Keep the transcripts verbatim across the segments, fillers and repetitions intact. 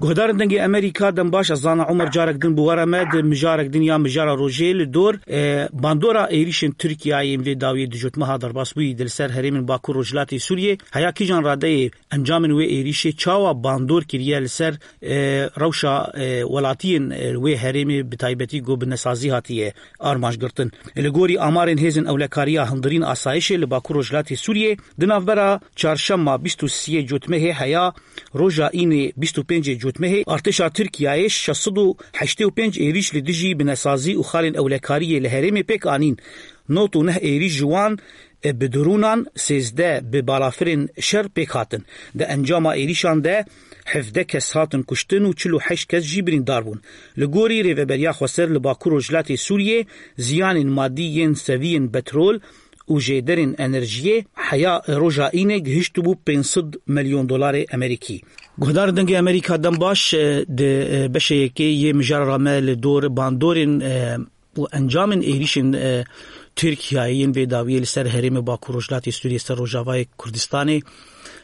Guhdarên Dengê Amerîka, dem baş, ez zanim Omer carek din bi we re me di mijarek din ya mijara rojê li dor, e, bandora êrîşên Tirkiyeyê yên vê dawiyê di cotmeha derbasbûyî di li ser herêmên Bakur Rojhilatê Sûriyê heya kîjan radeyê encamên wê êrîşê çawa bandor kiriye li ser, e, rewşa, e, welatiyên, e, wê herêmê bi taybetî ku bi nesazî hatiye armanc girtin. Li gorî amarên hêzên ewlekariya hundirîn asayişê li Bakur Rojhilatê Sûriyê di navbera çarşema bîst û sê cotmehê heya roja înê bîst û pêncê cotmehê artêşa Tirkiyeyê şeş sed û heştê û pênc êrîş li dijî binesazî û xalên ewlekariyê li herêmê pêk anîn. Nod û neh êrîş ji wan, e, bi drûnan, sêzdeh bi balafirên şer pêk hatin. Di encama êrîşan de hevdeh kes hatin kuştin û çil û heşt kes jî birîndar bûn. Li gorî Rêveberiya Xweser li Bakur Rojhilatê Sûriyê ziyanên madî yên seviyên petrol û jêderên enerjiyê heya roja înê gihiştibû pênc sed milyon dolarê Amerîkî. Guhdar Dengê Amerîka, dem baş, e, di, e, beşê yekê yê mijara re me li dor bandorên, e, û encamên êrîşên, e, Tirkiyeyê yên vê dawiyê li ser herêmê Bakur Rojhilatê Sûriyê, ser Rojavayê Kurdistanê,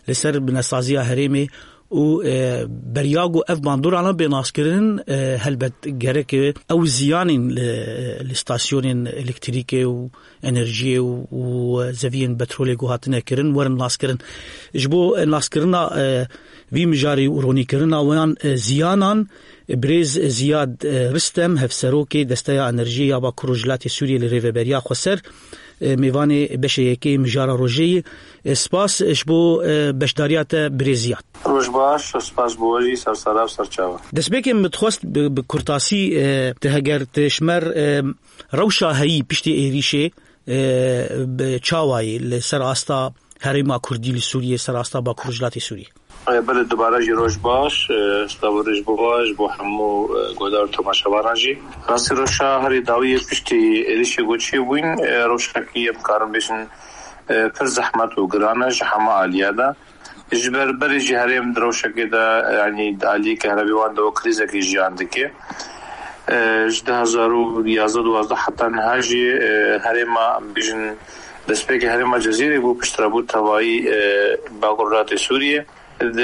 li ser binesaziya herêmê û, e, beriya ku ev bandorana bê naskirin, e, helbet gerek, e, ew ziyanên li, li stasyonên elektrîkê û enerjiyê û, û zeviyên petrolê ku hatine kirin werin naskirin. Ji bo naskirina, e, vî mijarî û ronîkirina wan, e, ziyanan, e, birêz Ziyad, e, Ristem, hevserokê Desteya Enerjiyê ya Bakur Rojhilatê Sûriyê li Rêveberiya Xweser, e, mêvanê beşê yekê mijara rojê ye. E, spas ji bo, e, beşdariya te, birêz Ziyad. Roj baş, spas bo we jî, ser sera û ser çava. Destpêkê min dixwest bi, bi kurtasî, e, te heger te ji me re, e, rewşa heyî piştî êrîşê, e, bi çawayî li ser asta herêma Kurdî li Sûriyê, ser asta Bakur Rojhilatê Sûriyê. E, belê, dubare jî roj baş, e, slavû roj bo we, ji bo hemû, e, guhdar û temaşevanan jî. Rastî rewşa herî dawiyê piştî êrîşê ku çêbûyîn, e, rewşekî em karin bêjin, e, pir zehmet û giran e ji hema aliya de. Ji ber berê jî herêm di rewşekê de, yanî di aliyê kehrebê wan de wek krîzekê jiyan dike. E, ji du hezar û yazdeh duwazdeh heta niha jî, e, herêma, em bêjin, destpêkê herêma Cezîrê bû, piştre bû tevayî, e, Bakur Rojhilatê Sûriyê. Di,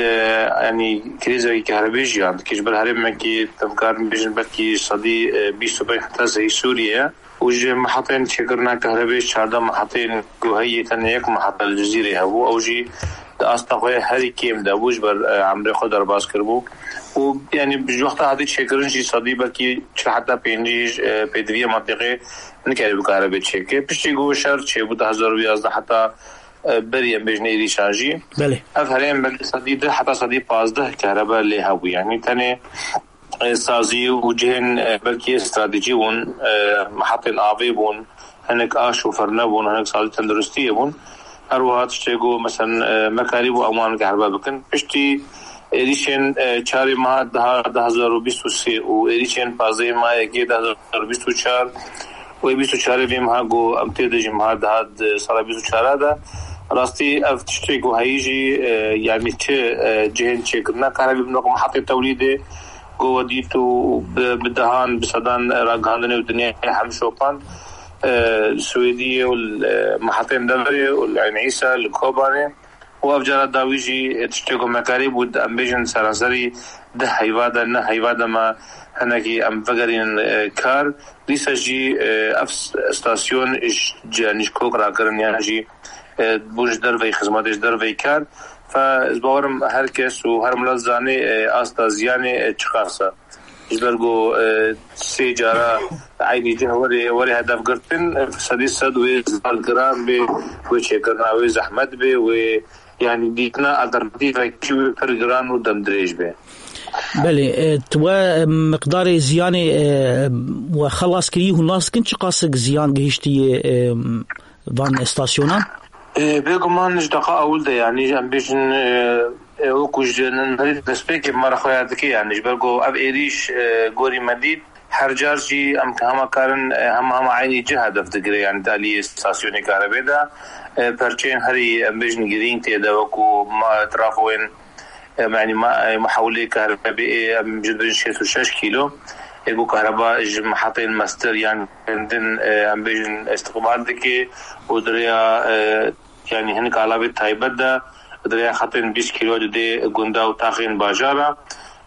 yanî krîzekî kehrebê jiyan dike. Ji ber herêmekî, em karin bêjin, belkî sedî, e, bîst û pênc heta seyî Sûriyê ye. Û ji mehetên çêkirina kehrebê, çardeh mehetên ku heyî, tenê yek mehet li Cizîrê hebû, ew jî di asta xwe herî kêm de bû, ji ber, e, emrê xwe derbas kiribû. Û, yanî, ji wexta hatî çêkirin jî sedî belkî çil heta pêncî, e, pêdiviyê mentiqê nikaribû kehrebê çêke. Piştî ku şer çêbû, du hezar û yazdeh heta, e, berî, em bêjin, êrîşan jî. Belê. Ev herêm belkî sedî deh heta sedî pazdeh kehrebe lê hebû. Yanî tenê e, sazî û cihên, e, belkî stratejî bûn, e, mehetên avê bûn, hinek aş û firne bûn, hinek sazî tenduristiyê bûn. Her wiha tiştê ku, meselen, e, me karîbû em wan kehriba bikin. Piştî êrîşên, e, çarê meha deha du hezar û bîst û sê û êrîşên pazdehê meha yekê du hezar û bîst û çar û ê bîst û çarê vê meha ku em tê de jî meha deha di sala bîst û çar de, rastî ev tiştê ku heyî jî, e, yanî çi, e, cihên çêkirina kahrevî bin wek mehetê tewlîdê, ku we dît û bi, bi dehan, bi sedan ragihandinê û dinyayê hem şopand, e, li Swêdiyê û li, e, mehetên deverê û li Eyn Îsa, li Kobanê. Û ev cara dawî jî, e, tiştê ku me karî bû, em bêjin seranserî deh heyva de, neh heyva de me hinekî em vegerînin, e, kar. Dîsa jî, e, ev s-, stasyon ji, ji, yanî ji kok rakirin yan jî, e, bû ji derveyî xizmetê, ji derveyî kar. Fe ez bawerim her kes û her milet zanê, e, asta ziyanê, e, çiqas e. Ji ber ku, e, sê cara eynî cih were, were hedef girtin, e, sedî sed wê zar giran bê, wê çêkirina wê zehmet bê, wê, yanî, dîtina alternatîfekî wê pir giran û demdirêj bê. Belê, e, tu we, e, miqdarê ziyanê, e, we xelas kirî, hûn nas dikin çiqasik ziyan gihiştiye, e, van stasyonan? E, bêguman ji deqa ewil de, yanî, em bêjin, e, e, wekû ji nerî destpêkê me re xweya dike, yanî, ji ber ku ev êrîş, e, gorî me dît, her car jî em hema karin, e, hema, hema eynî cih hedef digire, yanî, di aliyê stasyonê karebê de, e, perçeyên herî, em bêjin, girîng tê de, wekû ma-, trafoyên, e, yanî, ma-, e, mihewlê karebê, e, em ji dibin şêst û şeş kîlo, e, ku kahreba ji mehetên mestir yan din, e, em bêjin, îstiqbal dike û di rêya, e, yanî hinek alavê taybet de, di rêya xetên bîst kîlo didê gunda û taxên bajara.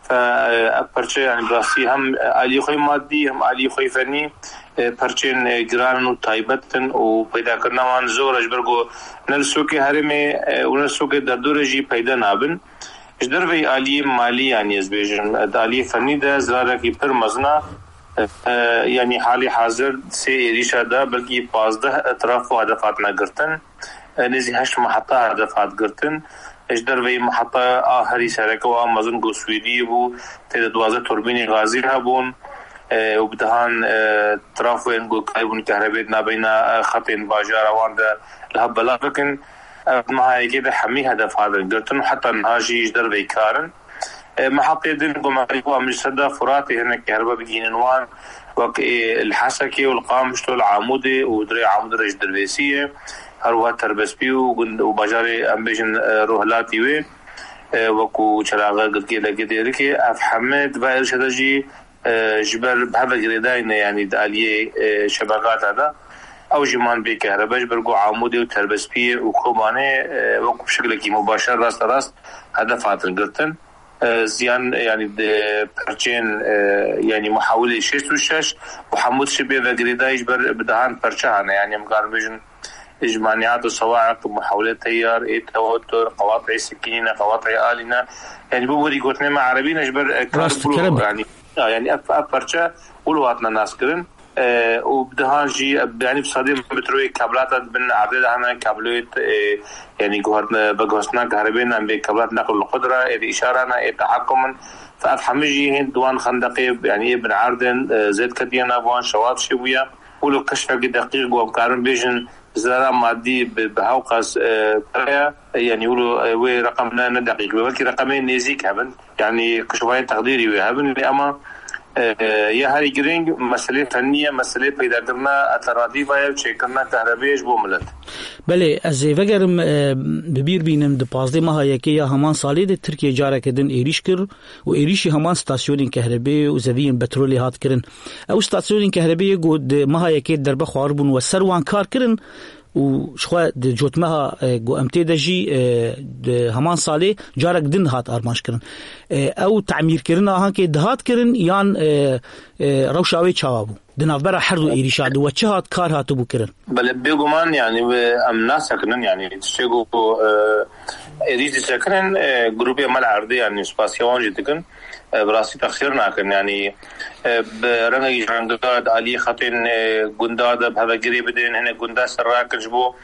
Fe, e, ev perçe, yani, bi rastî hem, e, aliyê xwe madî, hem aliyê xwe fenî, e, perçên, e, giran û taybet in û peydakirina wan zor e, ji ber ku ne li Sûkê herêmê, e, û ne li Sûkê derdorê jî peyda nabin. Ji derveyî aliyê malî, yani, ez bêjim, e, di aliyê fenî de zirarekî pir mezin e. E, yani, halî hazir sê êrîşa de belkî pazdeh trafo hedef hatine girtin. E, nêzî heşt meheta hedef hat girtin. Ji derveyî meheta a herî sereke û a mezin ku Swêdiyê bû, tê de duwazdeh turbînê gazî hebûn, e, û bi dehan, e, trafoyên ku karibûn kehrebê di navbeyna, e, xetên bajara wan de li hev belav bikin. Ev meha yekê de hemî hedef hatin girtin û heta niha jî ji derveyî kar in. E, mehatê din ku me qerîb û em ji ser de Furatê hinek kehriba bigihînin wan, wek ê li Hesekê û li Qamişlo, li Amûdê û dirê Amûdê re ji Dirbêsiyê, her wiha Terbespî û gund û bajarê, em bêjin, e, Rohilatî wê, e, wekû Çelaxe, Girkê, Legê, Dêrikê, ev heme di vê êrişa de jî, e, ji ber bi hev ve girêdayî ne, yanî di aliyê, e, şebekata de. Ew jî man bê kehriba, ji ber ku Amûdê û Terbespiyê û Kobanê, e, wekû şeklekî mubaşer rasterast hedef hatin girtin. E, ziyan, yani, di perçên, e, yani, muhawilê şêst û şeş û hemû tiştê pê ve girêdayî ji ber bi dehan perçe hene. Yani, em karin bêjin, ji maniat û sawa'iq, muhawilê teyar, ê tewatur, qewat'ê sikînî ne, qewat'ê alî ne. Yani, bu werî gotinê me erebî ne, ji ber, e, Rast, karibû, kerem. Yani, ya, yani, ev, ev perçe wilo hatine naskirin. E, û bi dehan jî, e, yani, bi sedê metroyê kablata di bin erdê de hene, kabloyê, e, yani, guhertine, veguhestina kahribê ne, em bê kablat neql û qudra, ê de îşara ne, ê tehekkum in. Fe ev hemî jî hên di wan xendeqê, yani, ê bin erdên, e, zêd ketiye nav wan, şewat çêbûye. Wilo keşfekî deqîq ku em karin bêjin, zerara madî bi, bi hewqas, e, pere ye. E, yani, wilo, e, wê reqem ne, ne deqîq be, belkî reqemê nêzîk hebin. Yani, kişobayên teqdîrî wê hebin, lê ama, e, ya herî girîng meselê fennî ye, meselê peydakirina alternatîfa ye û çêkirina kahrebê ye ji bo milet. Belê, ez ê vegerim, e, bi bîr bînim, di pazdeh meha yekê ya heman salê de Tirkiye careke din êrîş kir û êrîşî heman stasyonên kahrebê û zeviyên petrolê hat kirin. Ew stasyonên kahrebê yê ku di meha yekê derbe xwaribûn we ser wan kar kirin, û jixwe di cotmeha, e, ku em tê de jî, e, di heman salê carek din hat armanc kirin. E, ew temîrkirina hankê dihat kirin yan, e, e, rewşa wê çawa bû? Di navbera her du êrîşa de we çi hat kar hatibû kirin? Belê, bêguman, yani, we em nasekinin, yani, tiştê ku, e, êrîş disekinin, e, grûpê me li erdê, yani, spasiya wan jî dikin. E, bi rastî texsîr nakin. Yanî, e, bi rengekî ji renga di aliyê xetên, e, gunda de bi hev ve girê bidin, hinek gunda ser rakin ji bo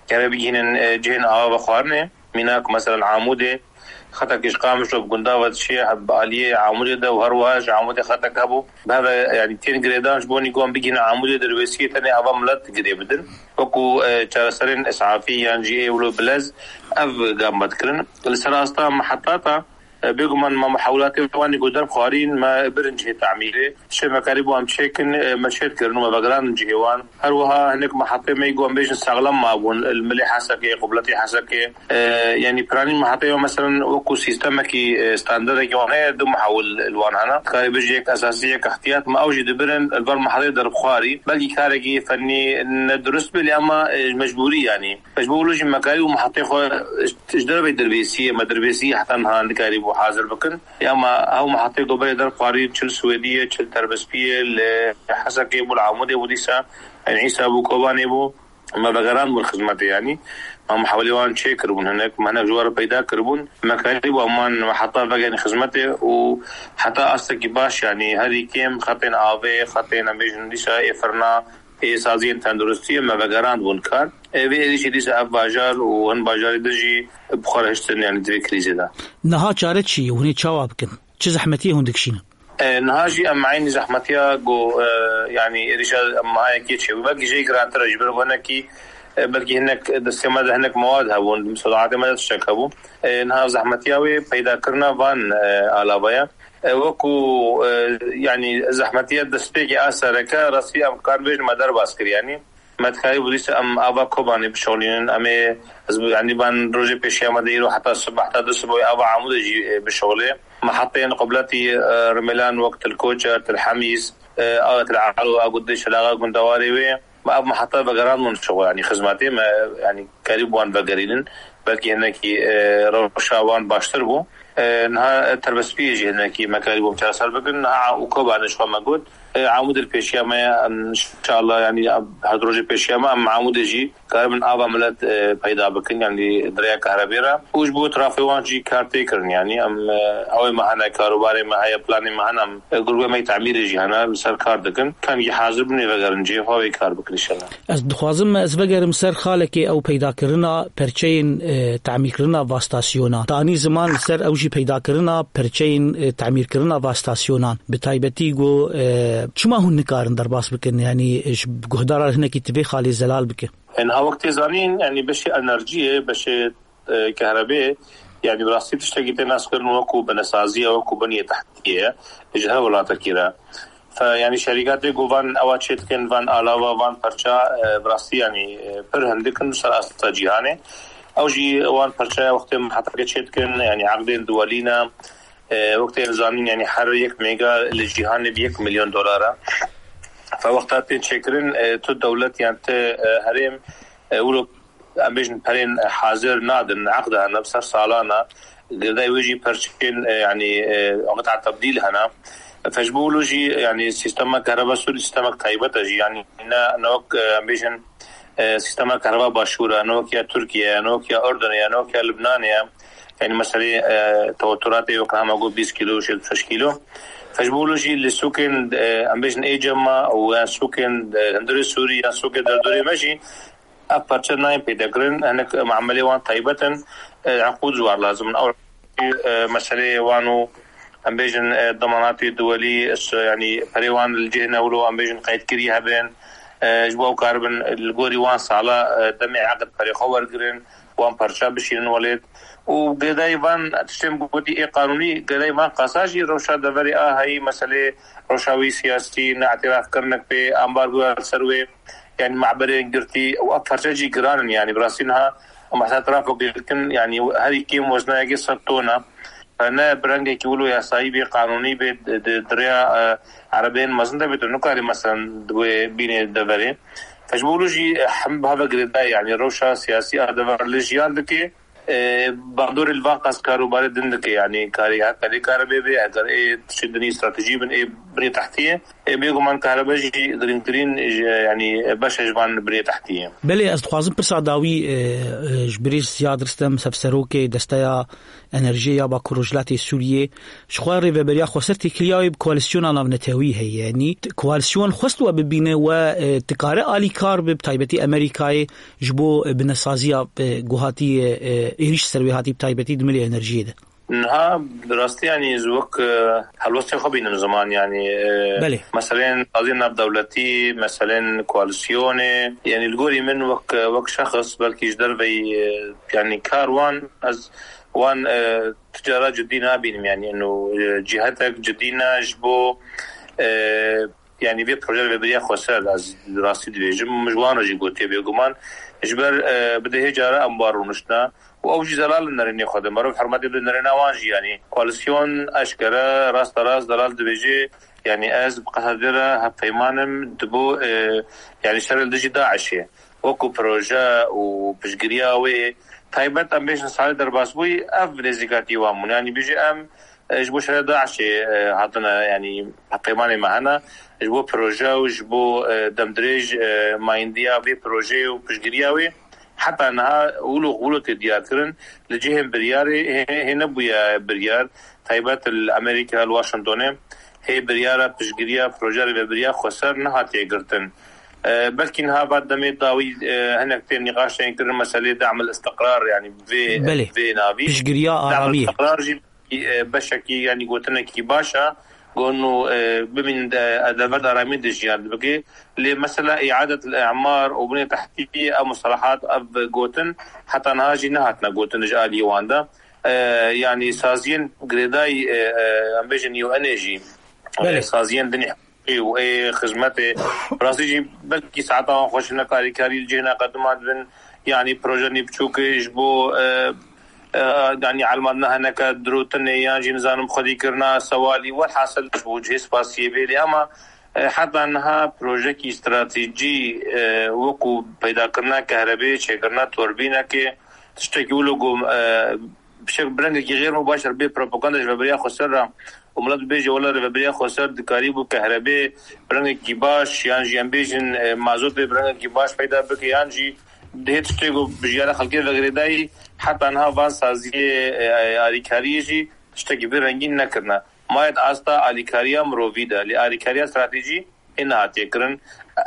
kerê bigihînin, e, cihên ava vexwarinê. Mînak, meselen, Amûdê, xetekî ji Qamişlo bi gunda ve diçiye, bi aliyê Amûdê de û her wiha ji Amûdê xetek hebû. Bi hev ve, yanî, tên girêdan ji bo nî ku em bigihînin Amûdê, Dirbêsiyê tenê ava milet girê bidin. Wekû, e, çareserên îsafî yan jî ê wilo bilez ev gam me dikirin. Li ser asta mehetata E, bêguman me muhawilatê wan ku derb xwarîn, me birin cihê tamîrê. Tiştê me karîbû em çêkin, e, me çêt kirin û me vegerandin cihê wan. Her wiha hinek mehetê me ku em bêjin saxlem mabûn, li milê Hesekê, qubletê Hesekê. E, yanî piranî mehetê me, meselen, wekû sîstemekî, e, standardekî wan heye, du muhawil li wan hene. Karê bijî yek esasî, yek ihtiyat, me ew jî dibirin, li ber mehetê derbxwarî. Belkî karekî fennî ne durust bê, lê ama, e, mecbûrî, yanî. Ji bo wilo jî me karî û mehetê xwe ji derveyî Dirbêsiyê, me Dirbêsiyê heta niha nikarîbû hazir bikin. Ya me ew mehetê ku berê derxwarî çi li Swêdiyê, çi li Terbespiyê, li Hesekê bû, li Amûdê bû dîsa, Eyn Îsa bû, Kobanê bû. Me vegerandibûn xizmetê, yanî. Me muhawilê wan çê kiribûn hinek, me hinek ji we re peyda kiribûn. Me karîbû em wan heta vegerîn xizmetê û heta astekî baş, yanî herî kêm xetên avê, xetên em bêjin dîsa ê firna, ê saziyên tenduristiyê me vegerandibûn kar. Ê vê êrîşî dîsa ev bajar û hin bajarî din jî bi xwe re hiştin, yanî di vê krîzê de. Niha çare çi ye? Hûn ê çawa bikin? Çi zehmetiyê hûn dikişînin? E, niha jî em eynî zehmetiya ku, e, yanî êrîşa em meha yekê çêbû. Belkî jê girantir e, ji ber ku hinekî, e, belkî hinek destê me de hinek mewad hebûn, di misodaatê me de tiştek hebû. E, niha zehmetiya wê peydakirina van, e, alava ye. E, wekû, e, yanî zehmetiya destpêkê a sereke rastî em karin bêjin me derbas kir, yanî me dikarîbû dîsa em ava Kobanê bişixulînin, em ê, ez bi, yanî van rojê pêşiya me de îro heta sibeh, heta du sibehê ava Amûdê jî, e, bişixulê. Meheteyên qubletî, e, Rimêlan wek Til Koçer, Til Hemîs, e, a Til Alo, a gundê Şelaxa, gundewarê wê. Me ev meheta vegerandin şixul, yanî xizmetê me, yanî karî bi wan vegerînin. Belkî hinekî, e, rewşa wan baştir bû. E, niha, e, terbestbiyê jî hinekî me karî bûm çareser bikin. Niha û Kobanê ji xwe me got, e, Amûd li pêşiya me ye, em, inşallah, yanî, em, her du rojê pêşiya me, em Amûdê jî karibin ava milet, e, peyda bikin, yanî di rêya kahrebê re. Û ji bo trafê wan jî kar tê kirin, yanî em, e, ew ê me hene, karobarê me heye, planê me hene, em, e, grûbê me yê temîrê jî hene, li ser kar dikin. Kengî hazir bin ê vegerin cihê xwe, wê kar bikin inşallah. Ez dixwazim ez vegerim ser xalekê ew peydakirina perçeyên, e, tamîrkirina va stasyonan. Tanî ziman li ser ew jî peydakirina perçeyên, e, tamîrkirina va stasyonan. Bi taybetî got, e, çima hûn nikarin derbas bikin? Yanî, e, ji guhdara hinekî ti vê xalê zelal bike. Niha wek tê zanîn, yanî beşê enerjiyê, beşê, e, kehrebê, yanî bi rastî tiştekî tê naskirin wekû binesaziye, wekû biniyê tehtiyê ye, ji her welatekî re. Fe, yanî şerîkatê ku van ewa çê dikin, van alava, van perça, e, bi rastî, yanî, e, pir hindik in ser asta cîhanê. Ew jî wan perçeya wextê me hetake çê dikin, yanî eqdên duwelî ne. E, wextê em zanîn, yanî her yek mega li cîhanê bi yek milyon dolar e. Fe wexta tên çêkirin, e, tu dewlet yan ti, e, herêm, e, wilo em bêjin perên hazir nadin, eqd hene, bi ser salan e. Girêdayî wê jî perçên, e, yanî, e, qita tebdîl hene. Fe ji bo wilo jî, yanî sîstema kehreba Sûrî sîstemek taybet e jî. Yanî ne, ne wek, e, em bêjin, e, sîstema kehreba Başûr e, ne wek ya Tirkiye ye, ne wek ya Urdunê ye, ne wek ya Libnanê ye. Yanî meselê, e, teweturatê wek hema got bîst kîlo, şêst şeş kîlo. Fe ji bo wilo jî li sûkên, e, em bêjin ê cem me û yan sûkên, e, hundirê Sûrî yan sûkê derdorê me jî ev perçe nayên peyda kirin, hinek muamelê wan taybet in, e, eqûd ji wan lazim in. Ew, e, meseleyê wan û em bêjin, e, demanatê duwelî, s-, yanî perê wan li cihê newlo, em bêjin qeydkirî hebin, e, ji bo ew karibin li gorî wan sala, e, demê eqd perê xwe wergirin, wan perçe bişînin welêt. Û girêdayî van tiştên gotî ê qanûnî, girêdayî van qasa jî rewşa deverê a heyî, meselê rewşa wî siyasî, neîtirafkirinek pê, ambargoya li ser wê, yanî maberên girtî û ev perçe jî giran in, yanî bi rastî niha em heta trafo girtin, yanî herî kêm wezna yekê sed ton e. Ne bi rengekî wilo yasayî bê, qanûnî bê, di, di, di rêya, e, erebeyên mezin de bê, tu nikarî meselen di wê bînê deverê. Fe ji bo wilo jî, e, hem bi heve girêdayî, yanî rewşa siyasî a dever li jiyan dike, e, bandorê li van qas karûbarê din dike, yanî karê heta lê karibê bê, eger ê tiştê dinî stratejî bin, ê binê tehtiyê, ê bêguman karebe jî girîngtirîn, e, yanî beşe ji van binê tehtiyê. Belê, ez dixwazim pirsa dawî, e, e, ji birêz Ziyad Ristem, Sevserokê Desteya Enerjiyê ya Bakur Rojhilatê Sûriyê, ji xwe rêveberiya xweser têkiliya wê bi koalîsyona navnetewî heye. Yanî t-, koalîsyon xwest we bibîne, we, e, dikare alîkar be, bi taybetî Amerîkayê, ji bo, e, binesaziya, e, ku hatî, e, êrîş ser wê hatî, bi taybetî di milê enerjiyê de? Niha bi rastî, yanî, ez wek, e, helwestê xwe bînim ziman, yanî, e, Belê. meselên saziyên navdewletî, meselên koalîsyonê, yanî, li gorî min wek, wek şexs, belkî ji derveyî, e, yanî, kar wan, ez wan, e, tu cara cidî nabînim, yanî, ino, e, cihetek cidî ne ji bo, e, yanî vê proje vê biriya xweser, ez rastî dibêjim, min ji wan re jî gotiye bêguman, ji ber, e, bi dehê cara em wan rûniştine û ew jî zelal in nerênê xwe de. Merov hurmetê bide nerêna wan jî, yanî koalîsyon eşkere, rasterast zelal dibêje, yanî ez bi qesedê re hevpeyman im, dibo, e, yanî şer li dijî DAIŞê. Wekû proje û piştgiriya wê taybet, em bêjin salê derbasbûyî, ev nêzîkatî wan bûn. Yanî bêje em, e, ji bo şerê DAIŞê, e, hatine, yanî hevpeymanê me hene, ji bo proje û ji bo, e, demdirêj, e, mayîndiya vê projeyê û piştgiriya wê heta niha wilo, wilo tê diyar kirin. Li cihên biryarê hê, hê nebûye biryar. Taybet li Amerîka, li Washingtonê hê biryara piştgiriya proje rêvebiriya xweser nehatiye girtin. E, belkî niha va demê dawî, e, hinek tên nîqaş tên kirin meselê dam el istiqrar, yanî vê, Belê. vê navî. Piştgiriya Dam el aramiyê. istiqrar jî, e, beşekî, yanî gotinekî baş e. Got, nû, e, bimîn de, e, dever de aramiyê de jiyan bike. Lê mesela îadet el îmar û binê tehtî, ev mustalahat, ev gotin heta niha jî nehatine gotin ji aliyê wan de. E, yanî saziyên girêdayî, e, e, em bêjin U N ê jî, Belê. e, saziyên dinê û ê xizmetê. Rastî jî belkî saeta wan xweş ne, karîkarî li cihê neqedima dibin. Yanî proje nî biçûk ji bo, e, e, yanî elmandina hineke dirotinê yan jî nizanim xwedîkirina sewalî. Welhasil ji bo cihê spasiyê bê lê ama, e, heta niha projekî stratejî, e, wekû peydakirina kehrebê, çêkirina torbînekê, tiştekî wilo ku, e, Pişek bi rengekî xêr û baş re bê propaganda ji rêveberiya xweser re û milet bibêje, wela rêveberiya xweser dikarîbû kehrebê bi rengekî baş, yan jî em bêjin, e, mazotê bi rengekî baş peyda bike, yan jî dihê tiştê ku bi jiyana xelkê ve girêdayî, heta niha van saziyê, e, alîkariyê jî tiştekî vê rengîn nekirine. Maye di asta alîkariya mirovî de, lê alîkariya stratejî ê nehatiye kirin.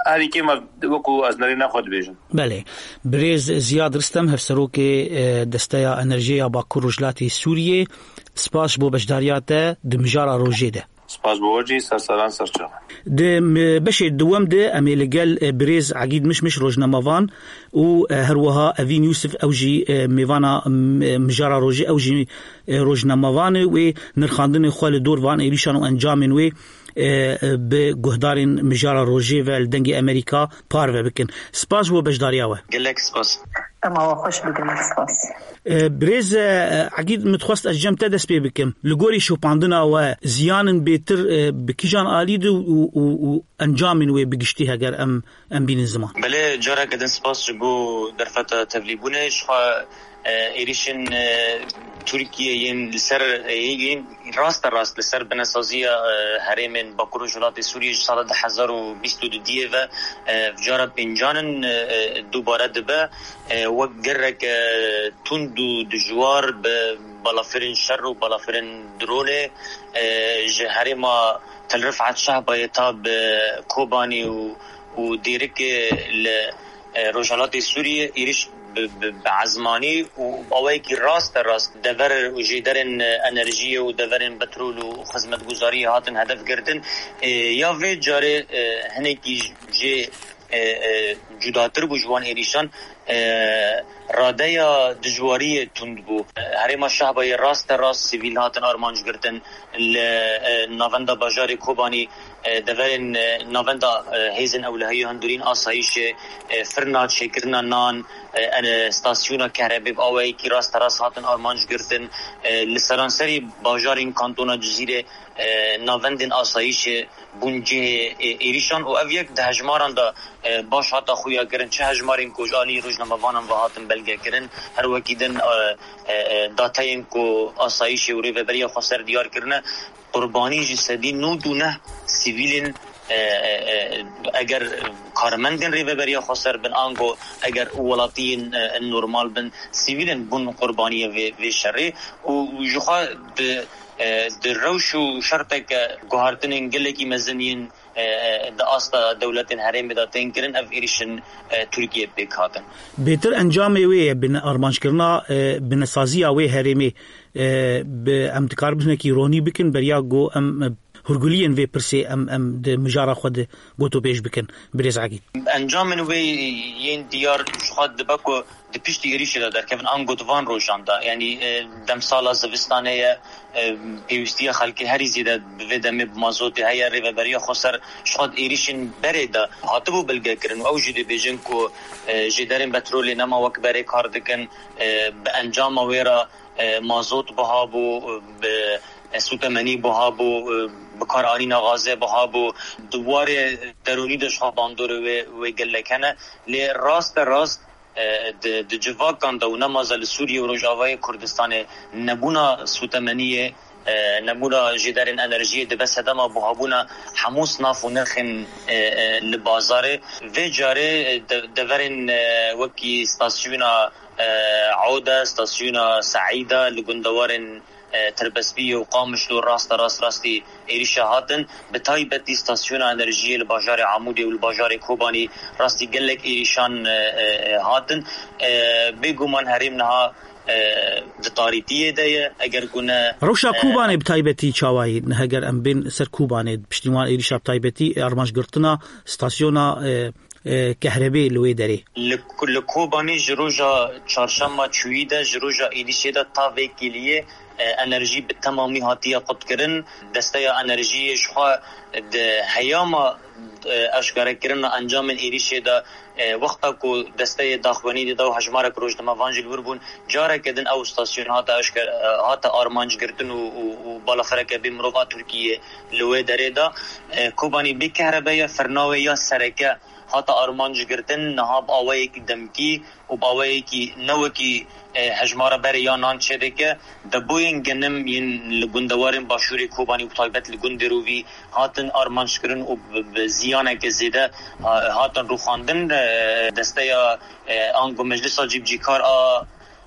Herî kêm ev wekû ez nerîna xwe dibêjim. Belê. Birêz Ziyad Ristem, hevserokê, e, Desteya Enerjiyê ya Bakur Rojhilatê Sûriyê, spas ji bo beşdariya te di mijara rojê de. Spas bo we jî, ser seran ser çavan. Di, m-, beşê duwem de em ê li gel, e, birêz Egîd Mişmiş rojnamevan û, e, her wiha Evîn Yûsif, ew jî, e, mêvana, m-, mijara rojê, ew jî, e, rojnamevan e, wê nirxandinê xwe li dor van êrîşan û encamên wê, e, e, bi guhdarên mijara rojê ve li Dengê Amerîka parve bikin. Spas bo beşdariya we. Gelek spas. Em awa xweş bi gelek spas. E, birêz, e, Egîd, min dixwest ez cem te dest pê bikim. Li gorî şopandina we ziyanin bêtir, e, bi kîjan alî de û, û, û encamên wê bi giştî heger em, em bînin ziman? Belê, careke din spas ji bo derfeta tevlîbûnê. Ji xwe, e, êrîşên, e, Tirkiye yên li ser, e, yên raste rast li ser binesaziya, e, herêmên Bakur û Rojhilatê Sûriyê ji sala du hezar û bîst û du diyê ve, e, cara pêncan in, e, e, dubare dibe. E, wek gerek, e, tund û dijwar bi balafirên şer û balafirên dronê, e, ji herêma Tel Rifat Şehbayê ta bi Kobanî û, û Dêrikê li, e, Rojhilatê Sûriyê êrîş bi, bi, bi ezmanî û awayekî raste rast dever û jêderên, e, enerjiyê û deverên petrol û xizmetguzariyê hatin hedef girtin. E, ya vê carê, e, hinekî jê, e, e, cudatir bû ji wan êrîşan. E, radeya dijwariyê tund bû. Herêma Şehbayê raste rast sivîl hatin armanc girtin. Li, e, navenda bajarê Kobanî, e, deverên, e, navenda, e, hêzên ewlehiyê hundirîn asayîşê, e, firna çêkirina nan, e, en, e, stasyona kehrebê bi awayekî rasterast hatin armanc girtin. E, li seranserî bajarên kantona Cizîrê, e, navendên asayîşê bûn cihê, e, êrîşan û ev yek di hejmaran de, e, baş hata xuya kirin. Çi hejmarên ku ji alî rojnamevanan ve hatin belge kirin, her wekî din, e, e, e, dateyên ku asayîşê û rêveberiya xweser diyar kirine, qurbanî ji sedî nod û neh sivîlên, e, e, e, eger karmendên rêveberiya xweser bin, ango eger welatiyên, e, normal bin, sivîlên bûn qurbaniyê vê, vê şerê û ji xwe di, e, di rewş û şerteke guhartinên gelekî mezin yên, e, e, di asta dewletên herêmê de tên kirin, ev êrîşên, e, Tirkiye pêk hatin. Bêtir encamê wê ye, bin armanckirina, e, binesaziya wê herêmê, e, bi em dikar binekî ronî bikin, beriya ku em, e, hûrguliyên vê pirsê em, em di mijara xwe de gotopêş bikin, birêz Egîd. Encamên wê yên diyar ji xwe dibe ku di piştî êrîşê de derkevin, ango di van rojan de, yanî, e, demsala zivistanê ye, e, pêwîstiya xelkê herî zêde bi vê demê bi mazotê heye. Rêveberiya xweser ji xwe di êrîşên berê de hatibû bilgekirin û ew jî dibêjin ku, e, jêderên petrolê nema wek berê kar dikin, e, bi encama wê re, e, mazot biha bû, e, bi, e, sûtemenî biha bû, e, bikaranîna gazê biha bû. Di warê derûnî de ji xwe bandorê wê, wê gelek hene. Lê raste rast, e, di, di civakan de û nemaze li Sûriyê û Rojavayê Kurdistanê nebûna sûtemeniyê, e, nebûna jêderên enerjiyê dibe sedema buhabûna hemû sinaf û nirxên, e, e, li bazarê. Vê carê, e, de-, deverên, e, wekî stasyona, e, Oda, stasyona Seîda li gundewarên, e, Tirbespiyê û Qamişlo raste rast rastî êrîşa hatin. Bi taybetî stasyona enerjiyê li bajarê Amûdê û li bajarê Kobanî rastî gelek êrîşan, e, e, e, hatin. E, bêguman herêm niha, e, di tarîtiyê de ye. Eger ku ne, Rewşa e, Kobanê bi taybetî çawa ye? Heger em bên ser Kobanê, piştî wan êrîşa bi taybetî, e, armanc girtina stasyona, e, e, kehrebê li wê derê. Li, li Kobanî ji roja çarşema çûyî de, ji roja êrîşê de ta vê kêliyê, e, enerjî bi temamî hatiye qutkirin. Desteya enerjiyê ji xwe di heyama, e, eşkarekirina encamên êrîşê de, e, wexta ku desteyê daxuyanî dida û hejmarek rojnamevan jî li wir bûn, careke din ew stasyon hate eşker-, e, hate armanc girtin û, û, û balafireke bê mirov a Tirkiyê li wê derê de. E, Kobanî bê kehrebe ye, firna wê ya sereke hate armanc girtin, niha bi awayekî demkî û bi awayekî ne wekî, e, hejmara berê ya nan çêdike. Depoyên genim yên li gundewarên başûrê Kobanî û bi taybet li gundê Rovî hatin armanckirin û bi, bi ziyaneke zêde, ha-, hatin rûxandin. E, desteya, e, ango Meclisa Cîbicîkar a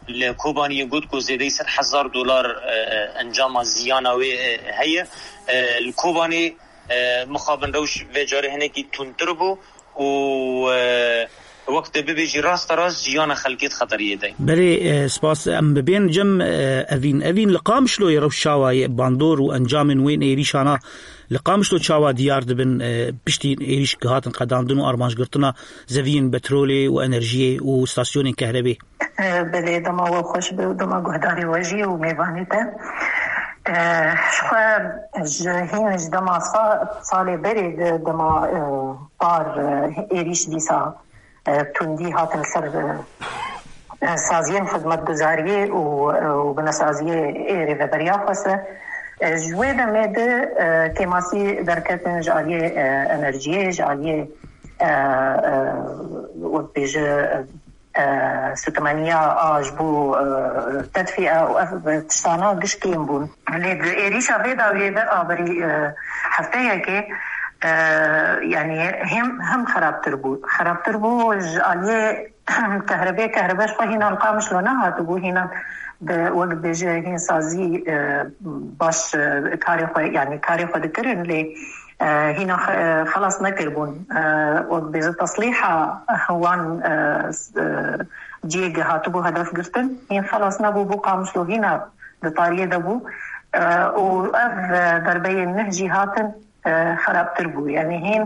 li Kobaniyê got ku zêdeyî sed hezar dolar, e, e, encama ziyana wê, e, heye. E, li Kobanê, e, mixabin rewş vê carê hinekî tundtir bû û, e, wek te bibêjî rasterast jiyana xelkê di xeteriyê de ye. Belê, e, spas. Em bibên cem, e, Evîn. Evîn, li Qamişloyê rewş çawa ye? Bandor û encamên wên êrîşana li Qamişlo çawa diyar dibin, e, piştî êrîş hatin qedandin û armancgirtina zeviyên petrolê û enerjiyê û stasyonên kehrebê? Belê, dema we xweş be û dema guhdarê we jî û mêvanê te. Ji xwe ji hîn ji dema sa-, salê berê de dema, e, par, e, êrîş dîsa, e, tundî hatin ser, e, e, saziyên xizmetguzariyê û, e, û binesaziyê ê rêveberiya xwese. E, ji wê demê de, e, kêmasî derketin ji aliyê, e, enerjiyê, ji aliyê, e, e, wek bêje, e, e, sutemeniya a ji bo, e, tedfîe û ev tiştana giş kêm bûn. Lê di êrîşa vê dawiyê de a berî, e, hefteyekê, e, yanî hem, hem xerabtir bû. Xerabtir bû ji aliyê kehrebê, kehrebe ji xwe hîna li Qamişlo nehatibû, hîna bi, wek bêje hîn sazî, e, baş, e, karê xwe, yanî karê xwe dikirin, lê e, hîna xe-, e, xelas nekiribûn. E, wek bêje teslîha wan, e, s-, e, cihê ge hatibû hedef girtin, hîn xelas nebû, bû Qamişlo hîna di tariyê de bû. E, û ev, e, derbeyên neh jî hatin, e, xerabtir bû. Yanî hîn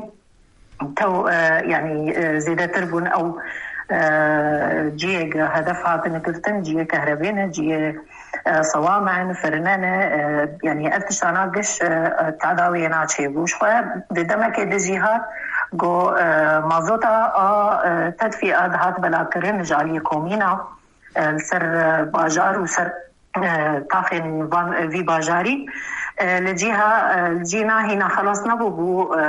tew, e, yanî, e, zêdetir bûn ew, e, cihê ge hedef hatine girtin, cihê kehrebê ne, cihê e, sewame ne, firine ne, e, yanî ev tiştana giş, e, e, tedawiyê naçêbû. Ji xwe di demekê de jî hat ku, e, mazota a, e, tedfî a dihat belavkirin ji aliyê komîna, e, li ser, e, bajar û ser, e, taxên van, e, vî bajarî, e, li cîha, e, li cîna hîna xelas nebû bû, e,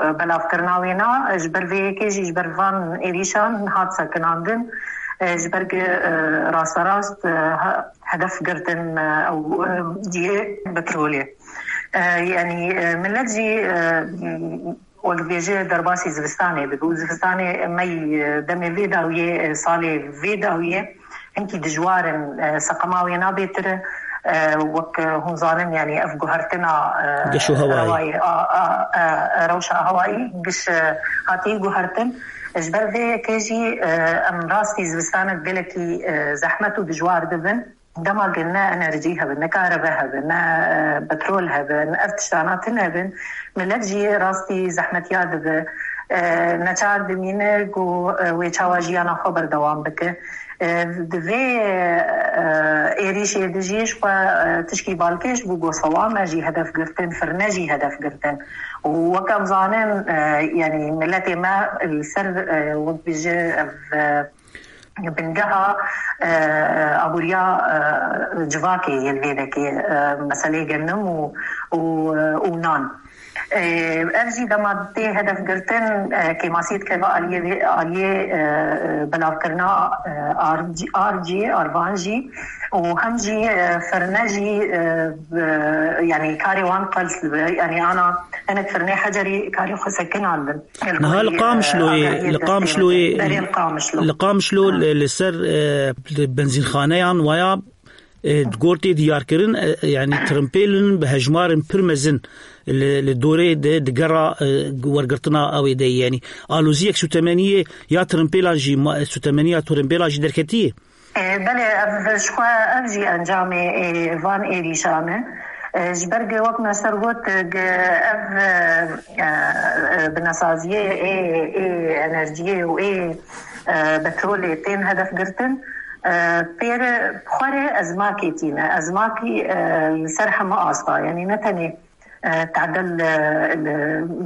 e, belavkirina wêna, e, ji ber vê yekê jî ji ber van êrîşan hat sekinandin, e, ji ber ku, e, rasterast, e, ha-, hedef girtin, e, ew, e, cihê petrolê. E, yanî, e, millet jî, e, wek dibêje derbasî zivistanê dibe û zivistanê me yî, e, demê vê dawiyê, e, salê vê dawiyê hinkî dijwar in, e, seqema wê nabêtir e, wek, e, hûn zanin, yanî ev guhertina, e, Geş û hewayê. Rewayê, a, a, e, rewşa hewayî giş, e, hatiye guhertin. Ji ber vê yekê jî, e, em rastî zivistanek gelekî, e, zehmet û dijwar dibin. Dema ku ne enerjî hebe, ne karebe hebe, ne, e, petrol hebe, ne ev tiştana tune hebin, millet jî rastî zehmetiya dibe. E, neçar dimîne ku, e, wê çawa jiyana xwe berdewam bike. E, di vê, e, êrîşê de jî ji xwe, e, tişkî balkêş bû, ku sewame jî hedef girtin, firne jî hedef girtin. Û wek em zanin, e, yanî miletê me li ser, e, wek bêje ev, e, bingeha, e, aboriya, e, civakê yên vê dekê, e, meseleyê genim û, û, e, û nan. E, ev jî dema tê hedef girtin, e, kêmasî dikeve aliyê vê, aliyê, e, e, belavkirina, e, ar-, arcî, arvan jî û hem jî, e, firne jî, e, e, yanî karê wan qels dibe. Yanî ana hinek firnê hecerî karê xwe sekinandin. Niha li Qamişloyê, li Qamişloyê, Berê li Qamişlo. Li Qamişlo Ha. li, li ser, e, li benzînxaneyan waya, e, di gor tê diyarkirin, e, yanî trimpêlin bi hejmarên pir mezin li, li dorê de di gera, e, wergirtina ew ê de ye. Yanî aloziyek sutemeniyê ya trimpêlan jî, ma-, sutemeniya trimpêlan jî derketiye. E, belê, ev ji xwe, ev jî encamê, e, van êrîşan e. E, ji ber ku wek me ser got, e, ge-, ev, e, e, e, binesaziyê ê, ê enerjiyê û ê, e, petrolê tên hedef girtin, e, pêre xwarê ezmakê tîne. Ezmakî, e, li ser heme asta, yanî ne tenê, e, tadel, e, li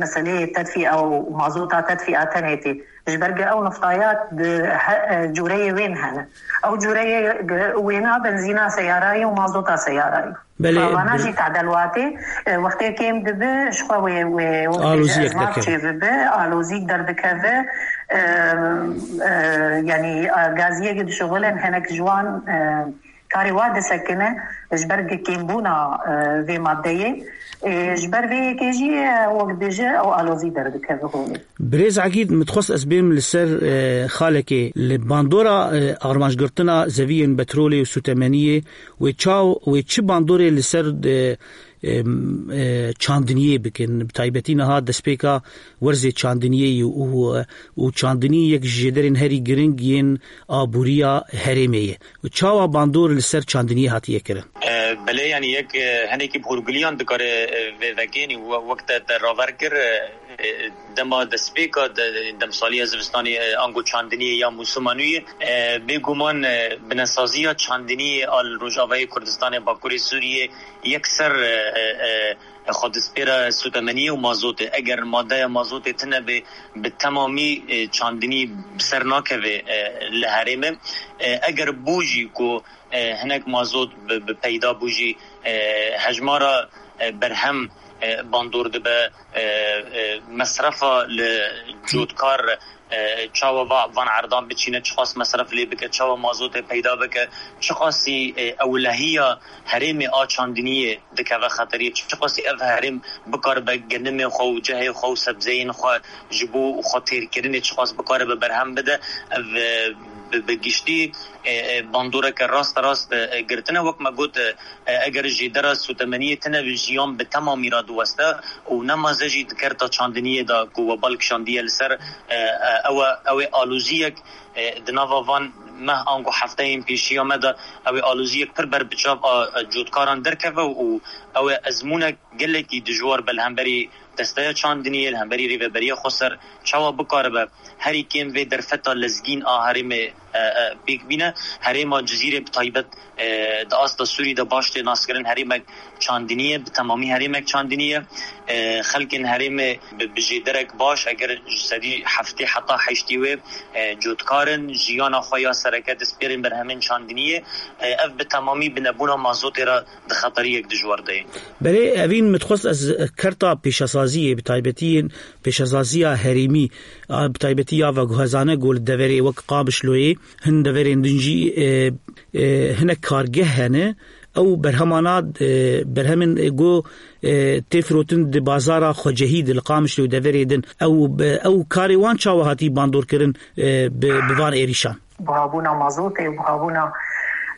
meseleyê tedfîa û mazota tedfîa tenê tê. Ji ber ku ew niftaya di he-, e, cûreyê wên hene. Ew cûreyê ge-, wêna benzîna seyarayê û mazota seyarayê. Belê, Vana jî tadel watê, e, wextê kêm dibe, ji xwe wê, wê, wê Aloziyek ez derkeve. Çêbibe, alozîk derdikeve. E, e, yanî, e, gaziyek dişuxulin hinek ji wan, e, karê wa disekine, ji ber kêmbûna, e, vê maddeyê. E, ji ber vê yekê jî, e, wek dibêje, ew alozî derdikeve holê. Birêz Egîd, min dixwest ez bêm li ser, e, xalekê. Li bandora, e, armancgirtina zeviyên petrolê û sûtemeniyê, wê çaw, wê çi bandorê li ser, e, e, e, çandiniyê bikin? Bi taybetî niha destpêka werzê çandiniyê ye û, û çandinî yek ji jêderên herî giring yên aboriya herêmê ye. Çawa bandor li ser çandiniyê hatiye kirin? E, belê, yanî yek, e, hinekî bi hûrgiliyan dikare, e, vê vekê, yanî we-, wek te, te raver kir, e, e, dema destpêka de, demsaliya zivistanê, e, ango çandiniyê ya mûsima nû yê, e, bêguman, e, binesaziya çandiniyê a li Rojavayê Kurdistanê, Bakurê Sûriyê, yekser, e, e, e, xwedistpêra sûtemeniyê û mazotê. Eger madeya mazotê tune be, bi temamî, e, çandinî bi ser nakeve, e, li herêmê. E, eger bû jî ku, e, hinek mazot bi, bi peyda bû jî, e, hejmara, e, berhem, e, bandor dibe, e, e, mesrefa li cotkar, e, çawa va-, van erdan biçîne, çiqas mesref lê bike, çawa mazotê peyda bike, çiqasî, e, ewlehiya herêmê a çandiniyê dikeve xeteriyê, çiqasî ev herêm bikaribe genimê xwe û cehê xwe û sebzeyên xwe ji bo xwe têrkirinê çiqas bikaribe berhem bide, ev, e, bi, bi giştî, e, e, bandoreke rasterast, e, e, girtine. Wek me got, e, e, eger jêdera sûtemeniyê tune be, jiyan bi temamî re diweste û nemaze jî di kerta çandiniyê de ku we bal kişandiye li ser, e, e, ew e, ew ê aloziyek, e, di nava van meh ango hefteyên pêşiya me de ew ê aloziyek pir berbiçav a, e, cotkaran derkeve û ew ê ezmûnek gelekî dijwar be li hemberî desteya çandiniyê, li hemberî Rêveberiya Xweser, çawa bikaribe herî kêm vê derfeta lezgîn a herêmê, e, e, pêk bîne. Herêma Cizîrê bi taybet, e, di asta Sûrî de baş tê naskirin herêmek çandinî ye, bi temamî herêmek çandinî ye. E, xelkên herêmê bi, bi jêderek baş, eger ji sedî heftê heta heştê wê, e, cotkar in, jiyana xwe ya sereke dispêrin berhemên çandiniyê. E, ev bi temamî bi nebûna mazotê re di xeteriyek dijwar de ye. Belê, Evîn, min dixwest ez kerta pêşesaziyê, bi taybetî yên pêşesaziya herêmî, a, bi taybetî ya veguhezane ku li deverê wek Qamişloyê, hin deverên din jî, e, e, hinek kargeh hene, ew berhemana, e, berhemên, e, ku, e, tê firotin di bazara xwecehî de li Qamişlo û deverê din, ew, ew karê wan çawa hatî bandorkirin, e, bi, bi van êrîşan? Buhabûna mazotê û buhabûna,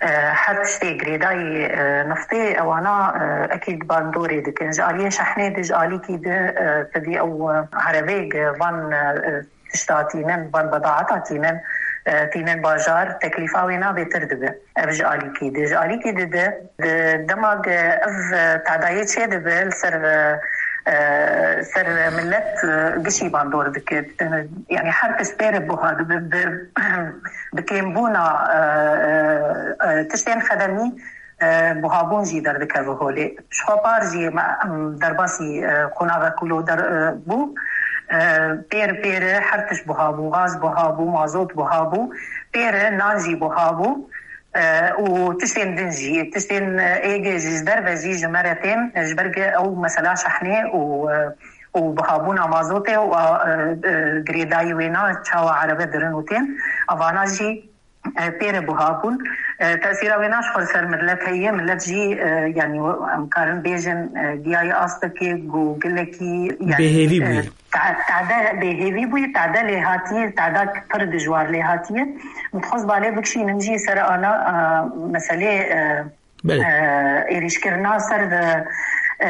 e, her tiştê girêdayî, e, niftê, ewana, e, ekîd bandorê dikin. Ji aliyê şehnê de, ji alîkî de, e, tevî ew, e, erebeyek van, e, tişta tînin, van bedaeta tînin, e, tînin bajar, teklîfa wê na bêtir dibe. Ev ji alîkî de. Ji alîkî de de, di dema ku ev, e, tadayê çê dibe li ser, e, e, ser milet, e, gişî bandor dike. Yani her tişt pê re buha dibe, bi, bi kêmbûna, e, e, e, tiştên xedemî, e, buhabûn jî derdikeve holê. Ji xwe par jî me, em, derbasî, e, qonava kulo der, e, bû. E, pêr pêre her tişt buhabû, gaz buhabû, mazot buhabû. Pêre nan jî buhabû. E, û tiştên din jî, tiştên, e, êgê jî ji derve jî ji me re tên, e, ji ber ku ew mesela şehnê û, e, û bihabûna mazotê û, e, e, girêdayî wêna çawa erebe dirin û tên, evana jî, e, pê re buha bûn. E, tesîra wêna ji xwe li ser milet heye, milet jî, e, yanî em karin bêjin, e, giyayê astekê ku gelekî, yanî, bêhêvî bûye. Te-, tade bêhêvî bûye, tade lê hatiye, tade pir dijwar lê hatiye. Min dixwest balê bikişînim jî ser ana, e, meselê, e, Belê. e, êrîşkirina ser, e, e,